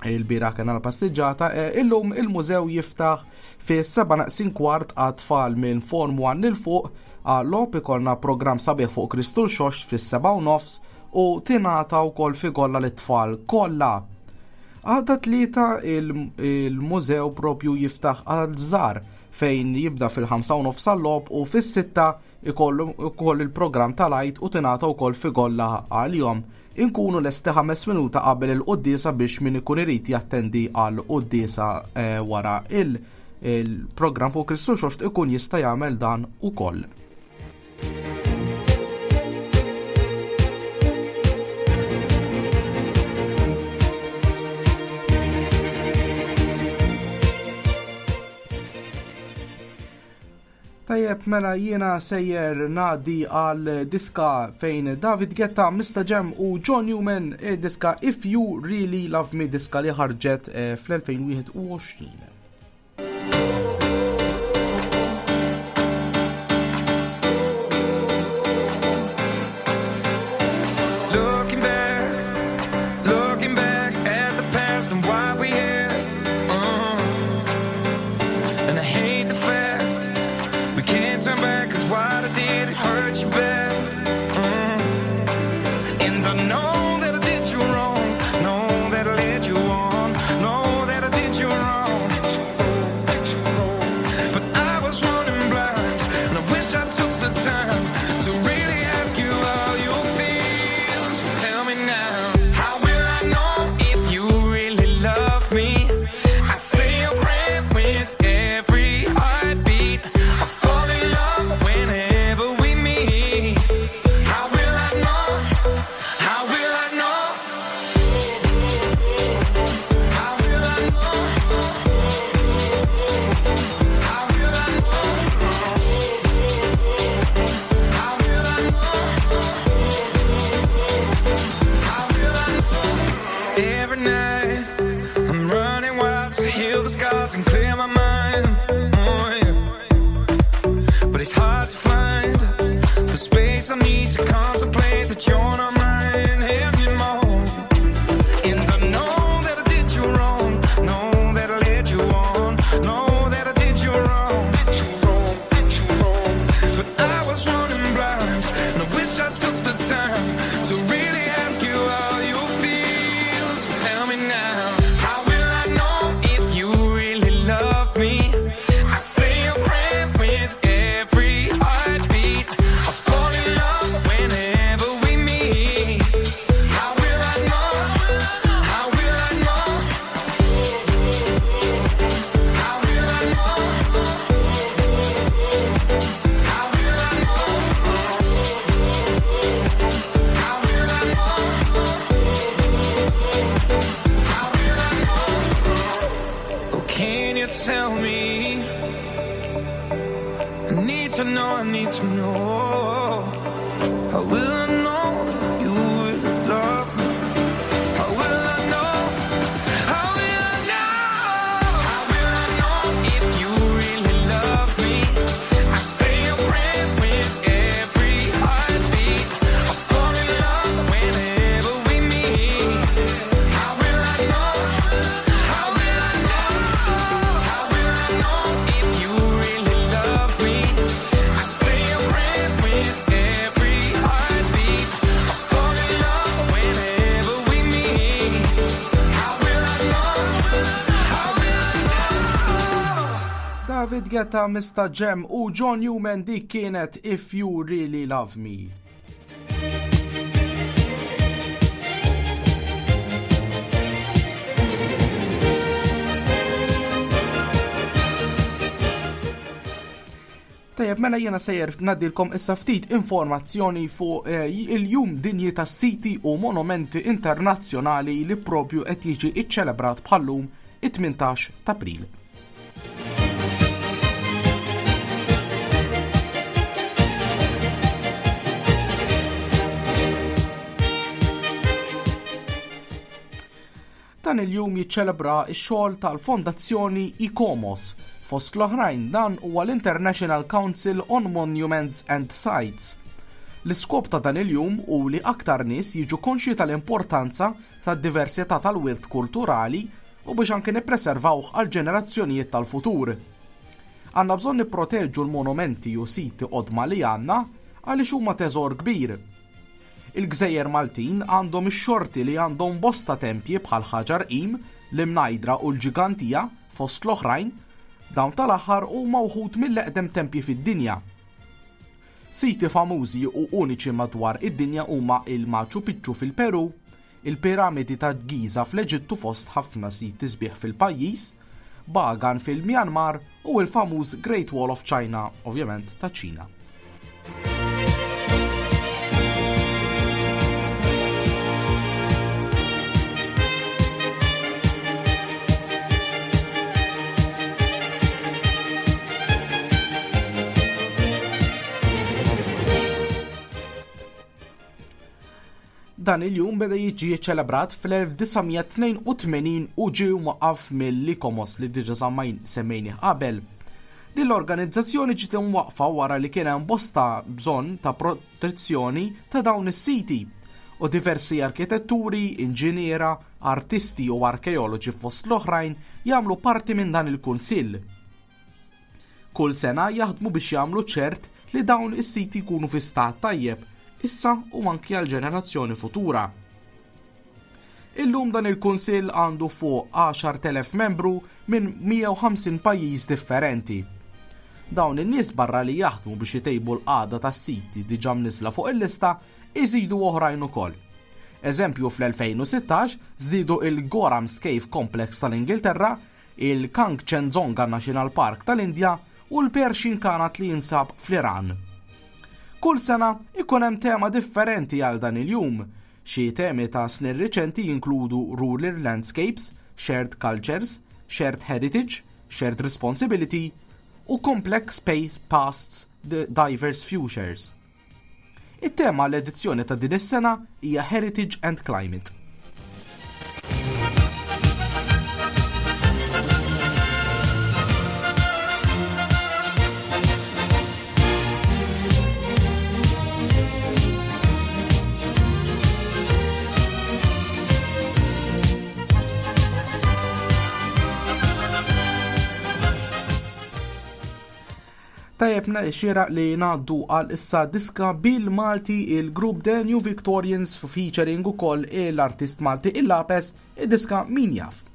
il-bira kena l-passiġġata, e, illum il-mużew jiftaħ fi 7 naqsin kwart għat-tfal minn Form 1 lil fuq għal-logħob ikollna programm sabiħ fuq Kristu l-Xoxt fis-7 u nofs u tingħata wkoll figolla lit-tfal kollha. Għada tlieta il-mużew propju jiftaħ għal żgħar fejn jibda fil-5 u nofs għal-logħob u fis-sitta ikollu wkoll il-programm tal-Għid u tingħata wkoll figolla għalihom. Inkunu lesti ħames minuta qabel il-quddiesa biex min ikun irid jattendi għal quddiesa eh, wara il-programm fuq Kristu Xoxt ikun jista' jagħmel dan ukoll. Tajjeb mela jiena sejjer ngħaddi għal diska fejn David Guetta, Mr. Jam u John Newman eh, diska If You Really Love Me diska li ħarġet eh, fl-2021. Looking back, looking back at the past and why we here. And I hate the fact we can't turn back, 'cause what I did, it hurt you bad. And I know that I did you wrong, know that I led you on, know that I did you wrong. But I was running blind, and I wish I took the time to really ask you how you feel. So tell me now, how will I know if you really love me? I say a prayer with every heartbeat. I fall in love whenever we meet. How will I know? How will I know? How will I know? How will I know? How will I know? How will I know? Every night I'm running wild to heal the scars and clear my mind. Oh, yeah. But it's hard to find the space I need to contemplate that you're not mine anymore. And I know that I did you wrong, know that I led you on, know that I did you wrong. But I was running blind, and I wish I took the time to really ask you how you feel. So tell me now, how will I know if you really love me? I say a prayer with every heartbeat. I fall in love whenever we meet. How will I know? How will I know? How will I know? How will I know? How will I know? How will I know? Oh, can you tell me? I need to know, I need to know. How will I know if you really love me? How will I know? How will I know? How will I know if you really love me? I say a prayer with every heartbeat. I fall in love whenever we meet. How will I know? How will I know? How will I know if you really love me? I say a prayer with every heartbeat. I fall in love whenever we meet. How will I know? How will I know? David Guetta, Mr. Jam u John Newman dik kienet If You Really Love Me. Tajjeb, mela jiena sejjer ngħaddilkom issa ftit informazzjoni fuq eh, il-Jum Dinji tas-Siti u Monumenti Internazzjonali li propju qed jiġi iċċelebrat bħallum it-18 t'April. Dan il-jum jiċċelebra x-xogħol tal-Fondazzjoni ICOMOS. Fost l-oħrajn dan huwa l-International Council on Monuments and Sites. L-iskop ta' dan il-jum hu li aktar nies jiġu konxji tal-importanza tad-diversità tal-wirt kulturali u biex anke nippreservawh għall-ġenerazzjonijiet tal-futur. Għandna bżonn nipproteġu l-monumenti u siti qodma li għandna għaliex huma teżor kbir. Il-gżejjer Maltin għandhom ix-xorti li għandhom bosta tempji bħal Ħaġar Qim, l-Imnajdra u l-Ġigantija, fost l-oħrajn. Dawn tal-aħħar huma wħud mill-eqdem tempji fid-dinja. Siti famużi u uniċi madwar id-dinja huma il-Machu Picchu fil-Peru, il-Piramidi ta' Giza fl-Eġittu fost ħafna siti sbieħ fil-pajjiż, Bagan fil-Myanmar u l-famuż Great Wall of China, ovvjament taċ-Ċina. Dan il-jum beda jiġi ċelebrat fl-1982 u ġie mwaqqaf mill-ICOMOS li diġa semmejnih qabel. Din l-organizzazzjoni ġiet imwaqqfa wara li kien hemm bosta bżonn ta' protezzjoni ta' dawn is-siti u diversi arkitetturi, inġiniera, artisti u arkeoloġi fost l-oħrajn jagħmlu parti minn dan il-kunsill. Kull sena jaħdmu biex jagħmlu ċert li dawn is-siti jkunu fi stat tajjeb issa u anki għal ġenerazzjoni futura. Illum dan il-Kunsill għandu fuq 10,000 membru minn 150 pajjiż differenti. Dawn in-nies barra li jaħdmu biex itejbu l-qagħda tas-siti diġà mniżżla fuq il-lista, iżidu oħrajn ukoll. Eżempju fl-2016 żdiedu il-Gorham's Cave Complex tal-Ingilterra, il-Kangchendzonga National Park tal-Indja u l-Pershin Kanat li jinsab fl-Iran. Kull sena ikun hemm tema differenti għal dan il-jum. Xi temi ta' snin riċenti jinkludu Rural Landscapes, Shared Cultures, Shared Heritage, Shared Responsibility u Complex Space Pasts Diverse Futures. It-tema għall-edizzjoni ta' din is-sena hija Heritage and Climate. Tajjeb xieraq li ngħaddu għal issa diska bil-Malti il-grupp The New Victorians featuring ukoll l-artist Malti Il-Lapes, id-diska Min Jaf.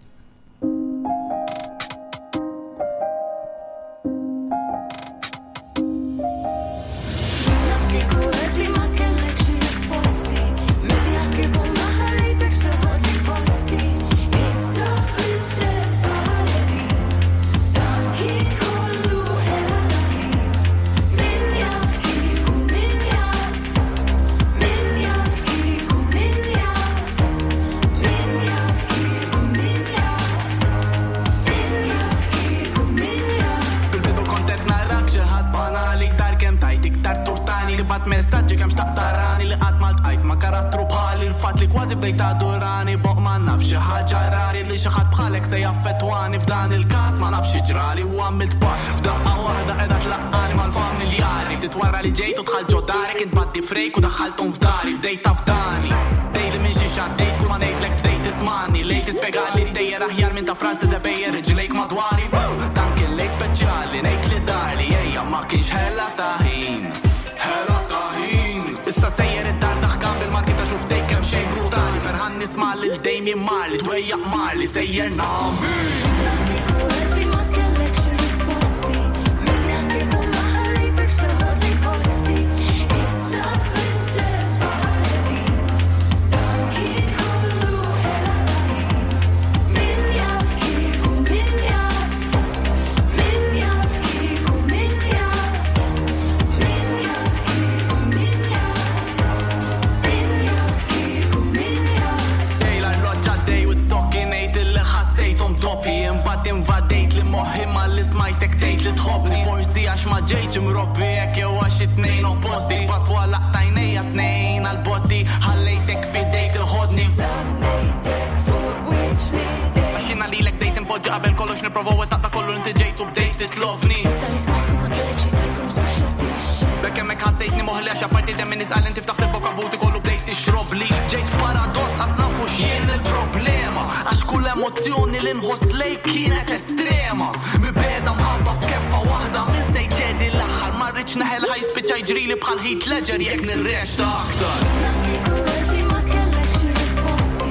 bik jew għax it-tnejn opposti. Patwa laqtajnejja tnejn għal-botti, ħallejtek fidejk tiħodni. Żammejtek fuq wiċċ l-idejn. Għax jiena lilek bdejt inpoġġi qabel kollox nipprova wettaq ta' kollu inti ġejt u bdejt titlobni. Issa li smajt kull ma kellek xi tgħid kull sfaxxa fix-xejn. Bekk hemmhekk ħassejtni moħli għax apparti demm in-nies qal inti ftaħt il-bokka buti kollu bdejt tixrobli. Ġejt f'paradoss qas nafu x'jien il-problema għax kull emozzjoni li nħoss lejk kienet estrema. Mibegħda mħabba f'keffa waħda minn se jċedi l-aħħar ma rridx neħel ħa jispiċċa jiġrili bħal Heath Ledger jekk nirrexta aktar. Naf kieku għedt li ma kellekx xi risposti.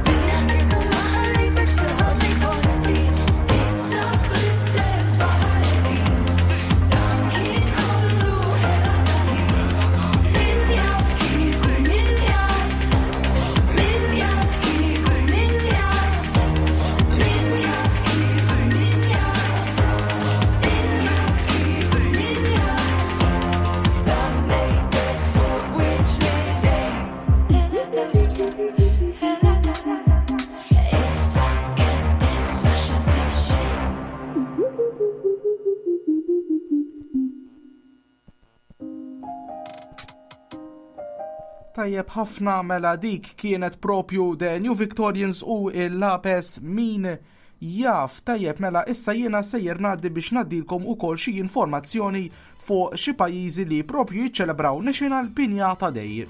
Min jaf kieku ma ħallejtekx teħodli posti. Issa fl-istess baħar qegħdin. Dan kien kollu ħela ta' ħin. Min jaf kieku, min jaf. Min jaf kieku, min jaf. Min jaf kieku, min jaf. Min jaf kieku, min jaf. Żammejtek fuq wiċċ l-idejn. Ħela ta' Issa kettek sfaxxa fix-xejn. Tajjeb ħafna mela dik kienet propju The New Victorians u il-Lapes min jaf. Tajjeb mela issa jiena sejjer ngħaddi biex ngħaddilkom ukoll xi informazzjoni fuq xi pajjiżi li propju jiċċelebraw National Piñata Day.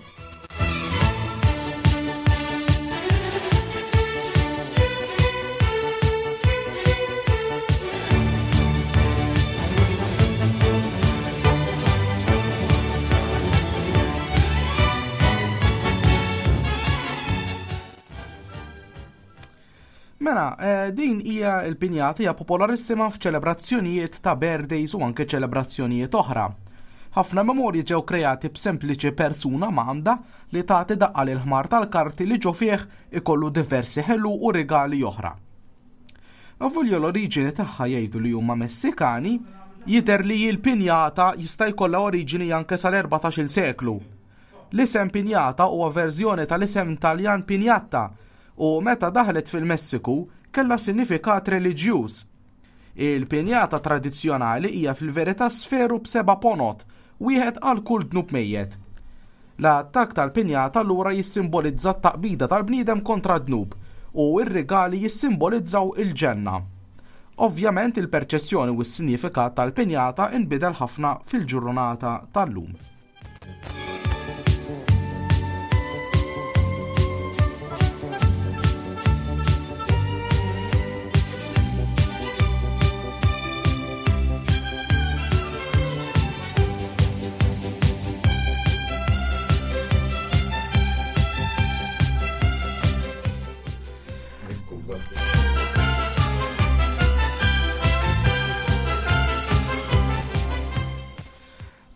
Mela, din hija l-pinjata hija popolarissima f'ċelebrazzjonijiet ta' birthdays u anke ċelebrazzjonijiet oħra. Ħafna memorji ġew kreati b'sempliċi persuna m'għandha li tagħti daqqa lil ħmar tal-karti li ġo fih ikollu diversi ħelu u rigali oħra. Avolja l-oriġini tagħha jgħidu li huma Messikani, jidher li l-pinjata jista' jkollha oriġini anke sal-14-il seklu. L-isem pinjata huwa verżjoni tal-isem Taljan pinjatta u meta daħlet fil-Messiku kellha sinifikat reliġjuż. Il-pinjata tradizzjonali hija fil-verità sferu b'seba' ponot, wieħed għal kull dnub mejjet. L-attakk tal-pinjata allura jissimbolizza t-taqbida tal-bniedem kontra d-dnub u r-rigali jissimbolizzaw il-ġenna. Ovvjament il-perċezzjoni u s-sinifikat tal-pinjata inbidel ħafna fil-ġurnata tal-lum.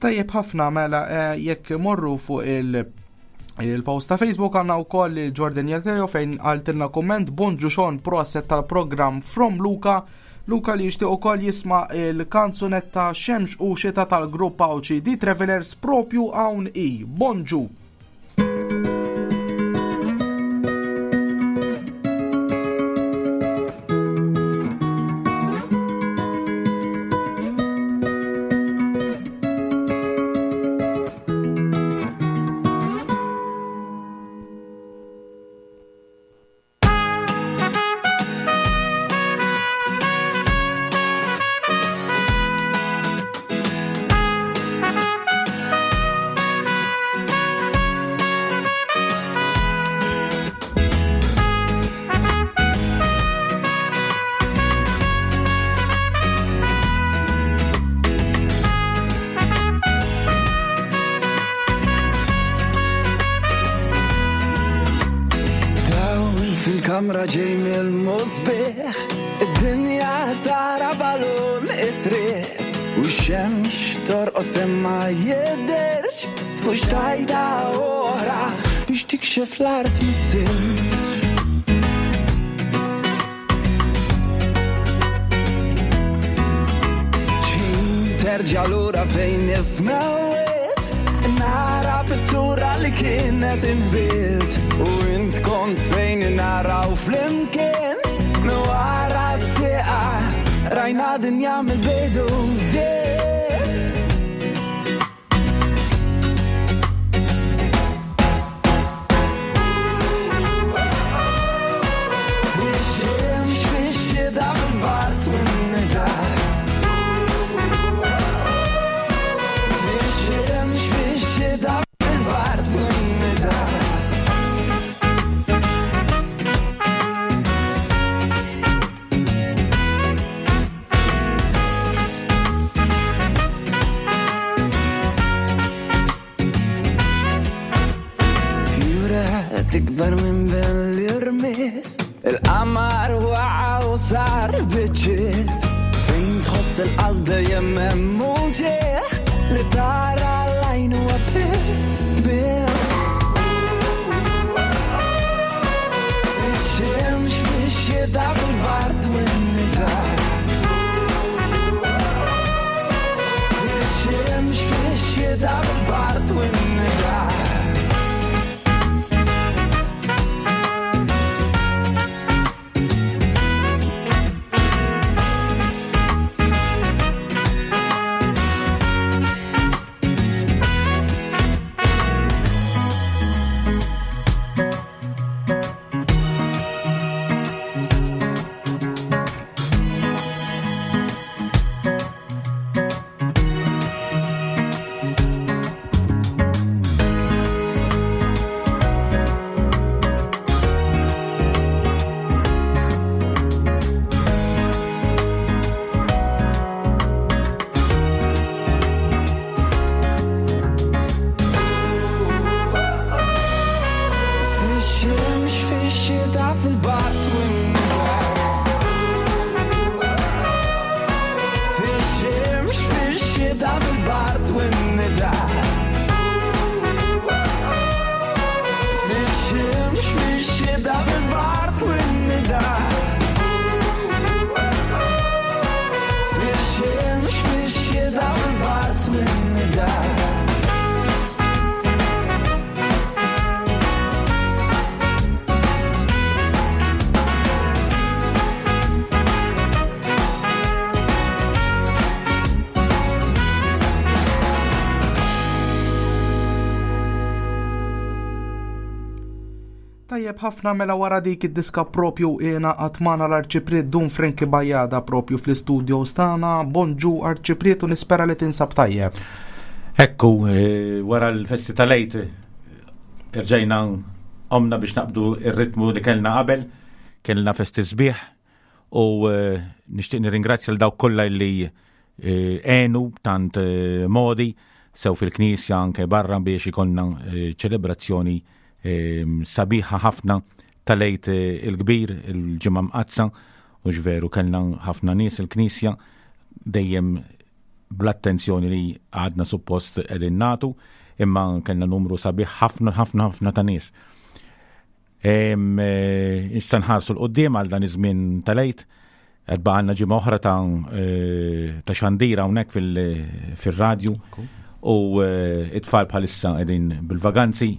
Tajjeb ħafna mela jekk morru fuq il-post ta' Facebook għandna wkoll Jordan Jateo fejn għaltilna komment bonġu Sean proset tal-programm From Luca. Luca li jixtieq ukoll jisma' il-kanzunetta Xemx u Xita tal-grupp Għawdxi The Travelers propju hawn i. Bonġu! Fil-kamra ġej mill-musbieħ, id-dinja tara balun it-triq, u x-xemx torqos imma jidhirx fuq xtajta oħra biex tikxef l-art mis-silġ. X'ħin terġa' lura fejn ismewwiet, nara pittura li kienet inbiet, u int kont fejn naraw flimkien, minn wara d-dieqa rajna dinja mill-bidu. Tikber minn ben l-irmiet Il-qamar waqa' u sar biċċiet Fejn tħoss il-qalb dejjem hemm uġigħ Li tara l-għajn huwa biss tbigħ Fix-xemx, fix-xita, fil-bard u n-nida Fix-xemx, fix-xita, fil-bard u n-nida Fix-xemx, fix-xita, fil-bard u n-nida Fix-xemx, fix-xita, fil-bard u n-nida Fix-xemx, fix-xita, fil-bard u n-nida Fix-xemx, fix-xita, fil-bard u n-nida Tajjeb ħafna mela wara dik id-diska propju jiena għatmana l-Arċipriet Dun Frankie Bajada propju fl-istudios tagħna. Bonġu Arċipriet u nispera li tinsab tajjeb. Ekku, eh, wara l-festi tal-Għid irġajna omna biex naqbdu ir-ritmu li kellna qabel, kellna festi sbieħ u eh, nixtieq nirringrazzja l dawk kollha li eh, għenu b'tant eh, modi sew fil-knisja anke barra biex ikollna ċelebrazzjoni sabiħa ħafna tal-Għid il-kbir, il-ġimgħa mqaddsa, u ġveru kellna ħafna nies il-knisja dejjem bl-attenzjoni li għadna suppost qegħdin nagħtu, imma kellna numru sabiħ ħafna ħafna ħafna ta' nies. Eh, issa nħarsu l-qoddim għal dan iż-żmien tal-Għid, qed baqgħalna ġimgħa oħra ta' eh, ta' xandira hawnhekk fil-radju u eh, it-tfal bħalissa qegħdin bil-vaganzi,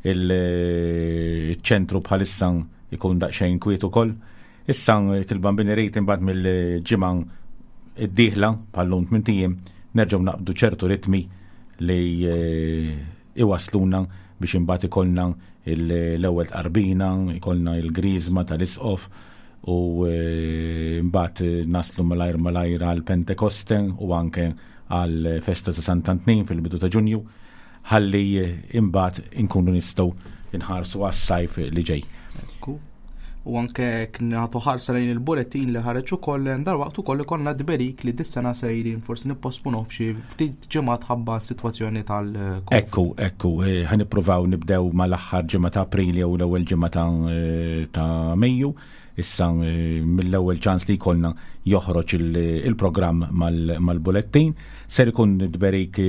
il-ċentru bħalissa ikun daqsxejn kwiet ukoll. Issa il-bambini rejt imbagħad mill-ġimgħa id-dieħla bħallum tmint ijiem nerġgħu naqbdu ċertu ritmi li iwassluna biex imbagħad ikollna l-ewwel tqarbina, ikollna l-griżma tal-isqof u eh, mbagħad naslu malajr malajr għal Pentekoste u anke għal festa ta' Sant'Antnin fil-bidu ta' Ġunju ħalli imbagħad inkunu nistgħu nħarsu għas-sajf li ġej. U anke nagħtu ħarsa lejn il-bulettin li ħareġ ukoll dalwaqt ukoll ikollna tberik li dis-sena sejrin forsi nipposponuh b'xi ftit ġimgħat ħabba s-sitwazzjoni tal Ekku, ekku, eh, ħa nippruvaw nibdew mal-aħħar ġimgħa ta' April jew l-ewwel ġimgħa ta' eh, ta' Mejju. Issa eh, mill-ewwel ċans li jkollna joħroġ il-programm mal-bulettin. Ser ikun tberik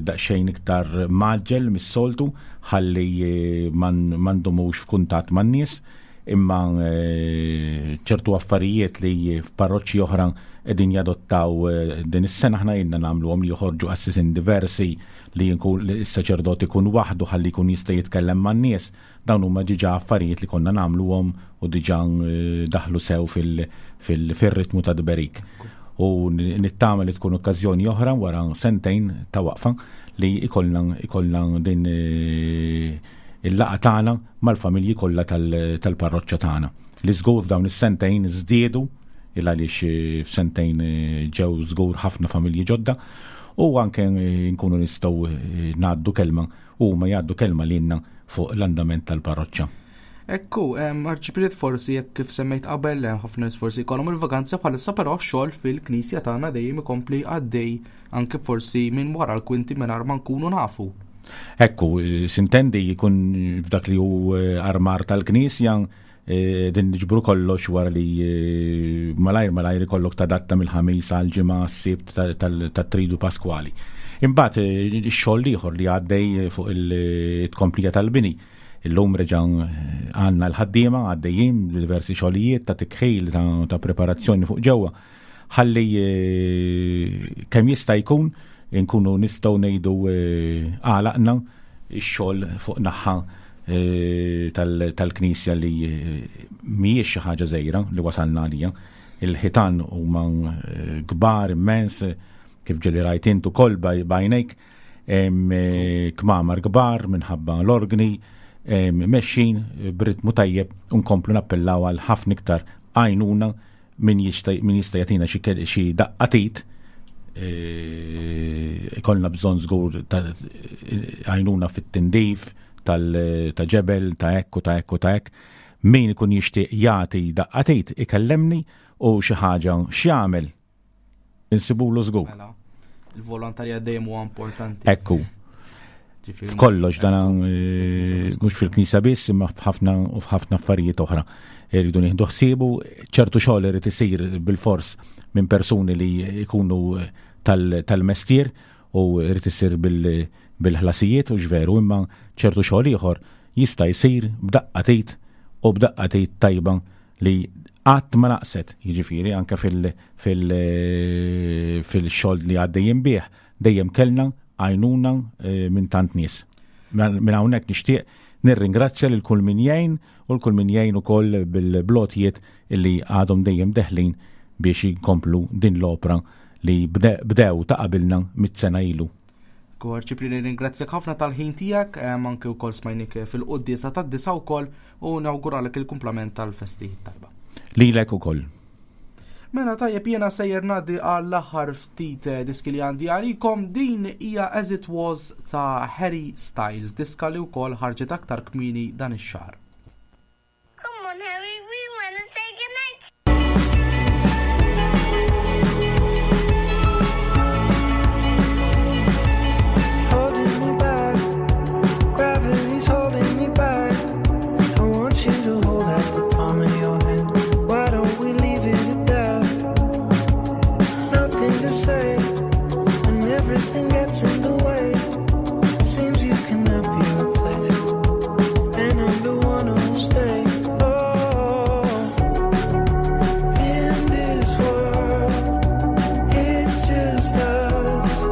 daqsxejn iktar maġġel mis-soltu ħalli ma ndumux f'kuntatt man-nies imma eh, ċertu affarijiet li f'parroċċi oħra qegħdin jadottaw eh, din is-sena aħna ilna nagħmluhom li joħorġu qassisin diversi li s-saċerdot ikun waħdu ħalli jkun jista' jitkellem man-nies. Dawn huma diġà affarijiet li konna nagħmluhom u diġà eh, daħlu sew fil-ritmu ta' dberik. U nittama li tkun okkażjoni oħra wara sentejn ta' waqfa li ikollna din il-laqgħa tagħna mal-familji kollha tal-parroċċa tagħna. Li żgur f'dawn is-sentejn żdiedu il għaliex eh, f'sentejn eh, ġew żgur ħafna familji ġodda u anke eh, nkunu nistgħu ngħaddu kelma u ma jgħaddu kelma lilna fuq l-andament tal-parroċċa. Ekku, arċipriet forsi jekk kif semmejt qabel ħafna nies forsi jkollhom il-vaganza bħalissa però x-xogħol fil-knisja tagħna dejjem ikompli għaddej anke forsi minn wara l-kwinti mingħajr ma nkunu nafu. Ekku, sintendi jkun f'dak li hu armar tal-Knisja din niġbru kollox wara li malajr malajr ikollok tadatta mill-ħamis għal ġimgħa s-sibt tat-tridu Paskwali. Imbagħad ix-xogħol ieħor li għaddej fuq il-tkomplija tal-bini. Illum reġa' għandna l-ħaddiema għaddejjin diversi xogħlijiet ta' tikħil ta' preparazzjoni fuq ġewwa. Ħalli kemm jista' jkun inkunu nistgħu ngħidu għalaqna x-xogħol fuq naħa tal-Knisja li mhijiex xi ħaġa żgħira li wasalna għalija. Il-ħitan huma kbar immens kif ġeli rajt int ukoll b'għajnejk, kmamar kbar minħabba l-organi mexxin b'ritmu tajjeb u nkomplu nappellaw għal ħafna iktar għajnuna min jista' jagħtina xi daqqatit ikollna bżonn żgur ta' għajnuna fit-tindif ta' ġebel ta' hekk u ta' hekk u ta' hekk. Min ikun jixtieq jagħti daqqatit ikellemni u xi ħaġa x'jagħmel insibulu żgur. Mela, il-volontarja dejjem huwa importanti. Ekku. F'kollox dan eh, mhux fil-knisja biss imma f'ħafna u f'ħafna affarijiet oħra. Irridu nieħdu ħsiebu, ċertu xogħol irid isir bil-fors minn persuni li jkunu tal-mestier u irid isir bil-ħlasijiet u ġveru imma ċertu xogħol ieħor jista' jsir b'daqqa tit u b'daqqa tit tajba li qatt ma naqset, jiġifieri anke fil-xogħol li għaddejjin bih dejjem kellna għajnuna eh, minn tant nies. Minn hawnhekk nixtieq nirringrazzja lil kull min jgħin u l kull min jgħin ukoll bil-blotijiet illi għadhom dejjem deħlin biex jkomplu din l-opra li bdew ta' qabilna mit-sena ilu. Kor ċipri nirringrazzjak ħafna tal-ħin tiegħek, eh, anke wkoll smajnik fil-quddiesa tad-disa wkoll u nawguralek il-kumplament tal-festi tajba. Lilek ukoll. Mela tajjeb jiena sejjer ngħaddi għall-aħħar ftit eh, diski li għandi għalikom din hija As It Was ta' Harry Styles, diska li wkoll ħarġet aktar kmieni dan ix-xahar. Come on Harry, we wanna say goodnight. Holding me back, gravity's holding me back. I want you to hold out the palm of your hand. Why don't we leave it at that? Nothing to say, and everything gets in the way. Seems you cannot be replaced, and I'm the one who'll stay. Oh, in this world, it's just us.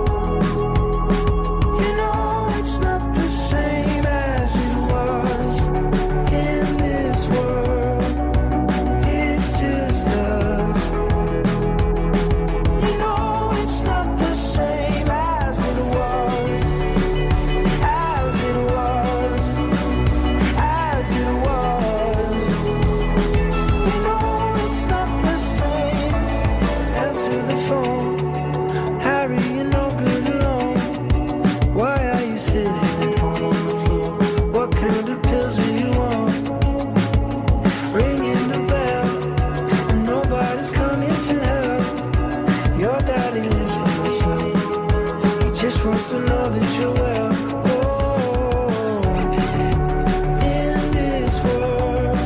You know it's not the same as it was. In this world, it's just us. You know it's not the same as it was. As it was. As it was. You know it's not the same. Answer the phone. Harry, you're no good alone. Why are you sitting at home on the floor? What kind of pills are you on? Ringing the bell, and nobody's coming to help. Your daddy lives by himself. He just wants to know that you're well. Oh, in this world,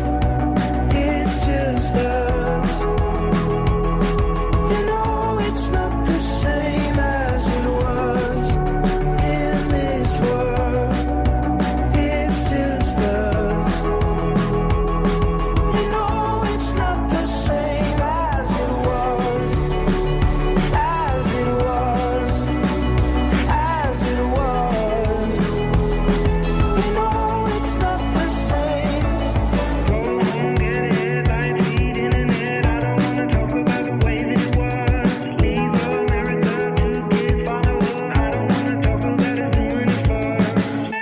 it's just us. You know it's not the same as it was. In this world, it's just us. You know it's not the same as it was. As it was. As it was. You know it's not the same. Go home, get headlights, heat, internet. I don't wanna talk about the way that it was. Leave America, two kids follow her. I don't wanna talk about us doing it first.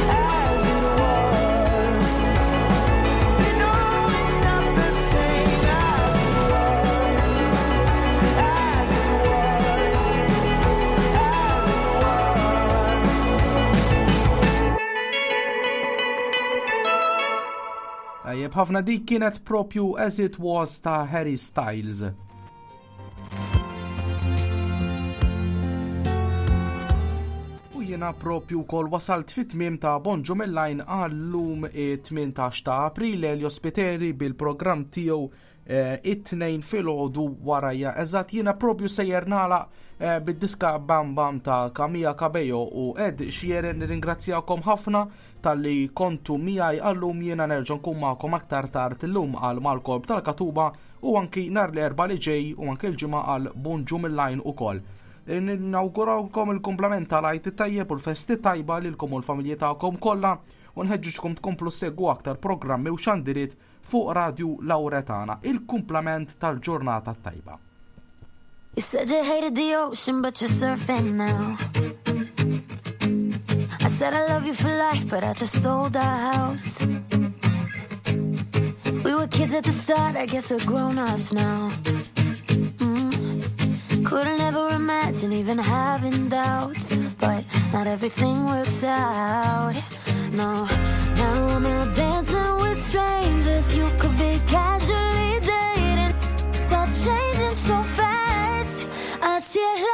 As it was. You know it's not the same as it was. As it was. As it was. Tajjeb ħafna dik kienet propju As It Was ta' Harry Styles. jiena propju wkoll wasalt fit-tmiem ta' Bonġu mill-lajn għallum 18 ta' April Elio Spiteri bil-programm tiegħu eh, it-tnejn filgħodu warajja. Eżatt jiena propju sejjer nagħlaq eh, bid-diska Bam Bam ta' Camilla Cabello u Ed Sheeran nirringrazzjakom ħafna talli kontu miegħi għallum jiena nerġa' nkun magħkom aktar tard illum għal mal-korp tal-Katuba u anki nhar l-Erbgħa li ġej u anki l-Ġimgħa għal Bonġu mill-lajn ukoll. Nawgurawkom il-kumplament tal-Għid it-tajjeb u l-festi tajba lilkom u l-familji tagħkom kollha u nħeġġiġkom tkomplu ssegwu aktar programmi u xandiriet fuq Radju Lauretana. Il-kumplament tal-ġurnata tajba. You said you hated the ocean, but you're surfing now. I said I love you for life, but I just sold our house. We were kids at the start, I guess we're grown-ups now. Couldn't ever imagine even having doubts, but not everything works out. No, now I'm out dancing with strangers. You could be casually dating, but changing so fast. I see it.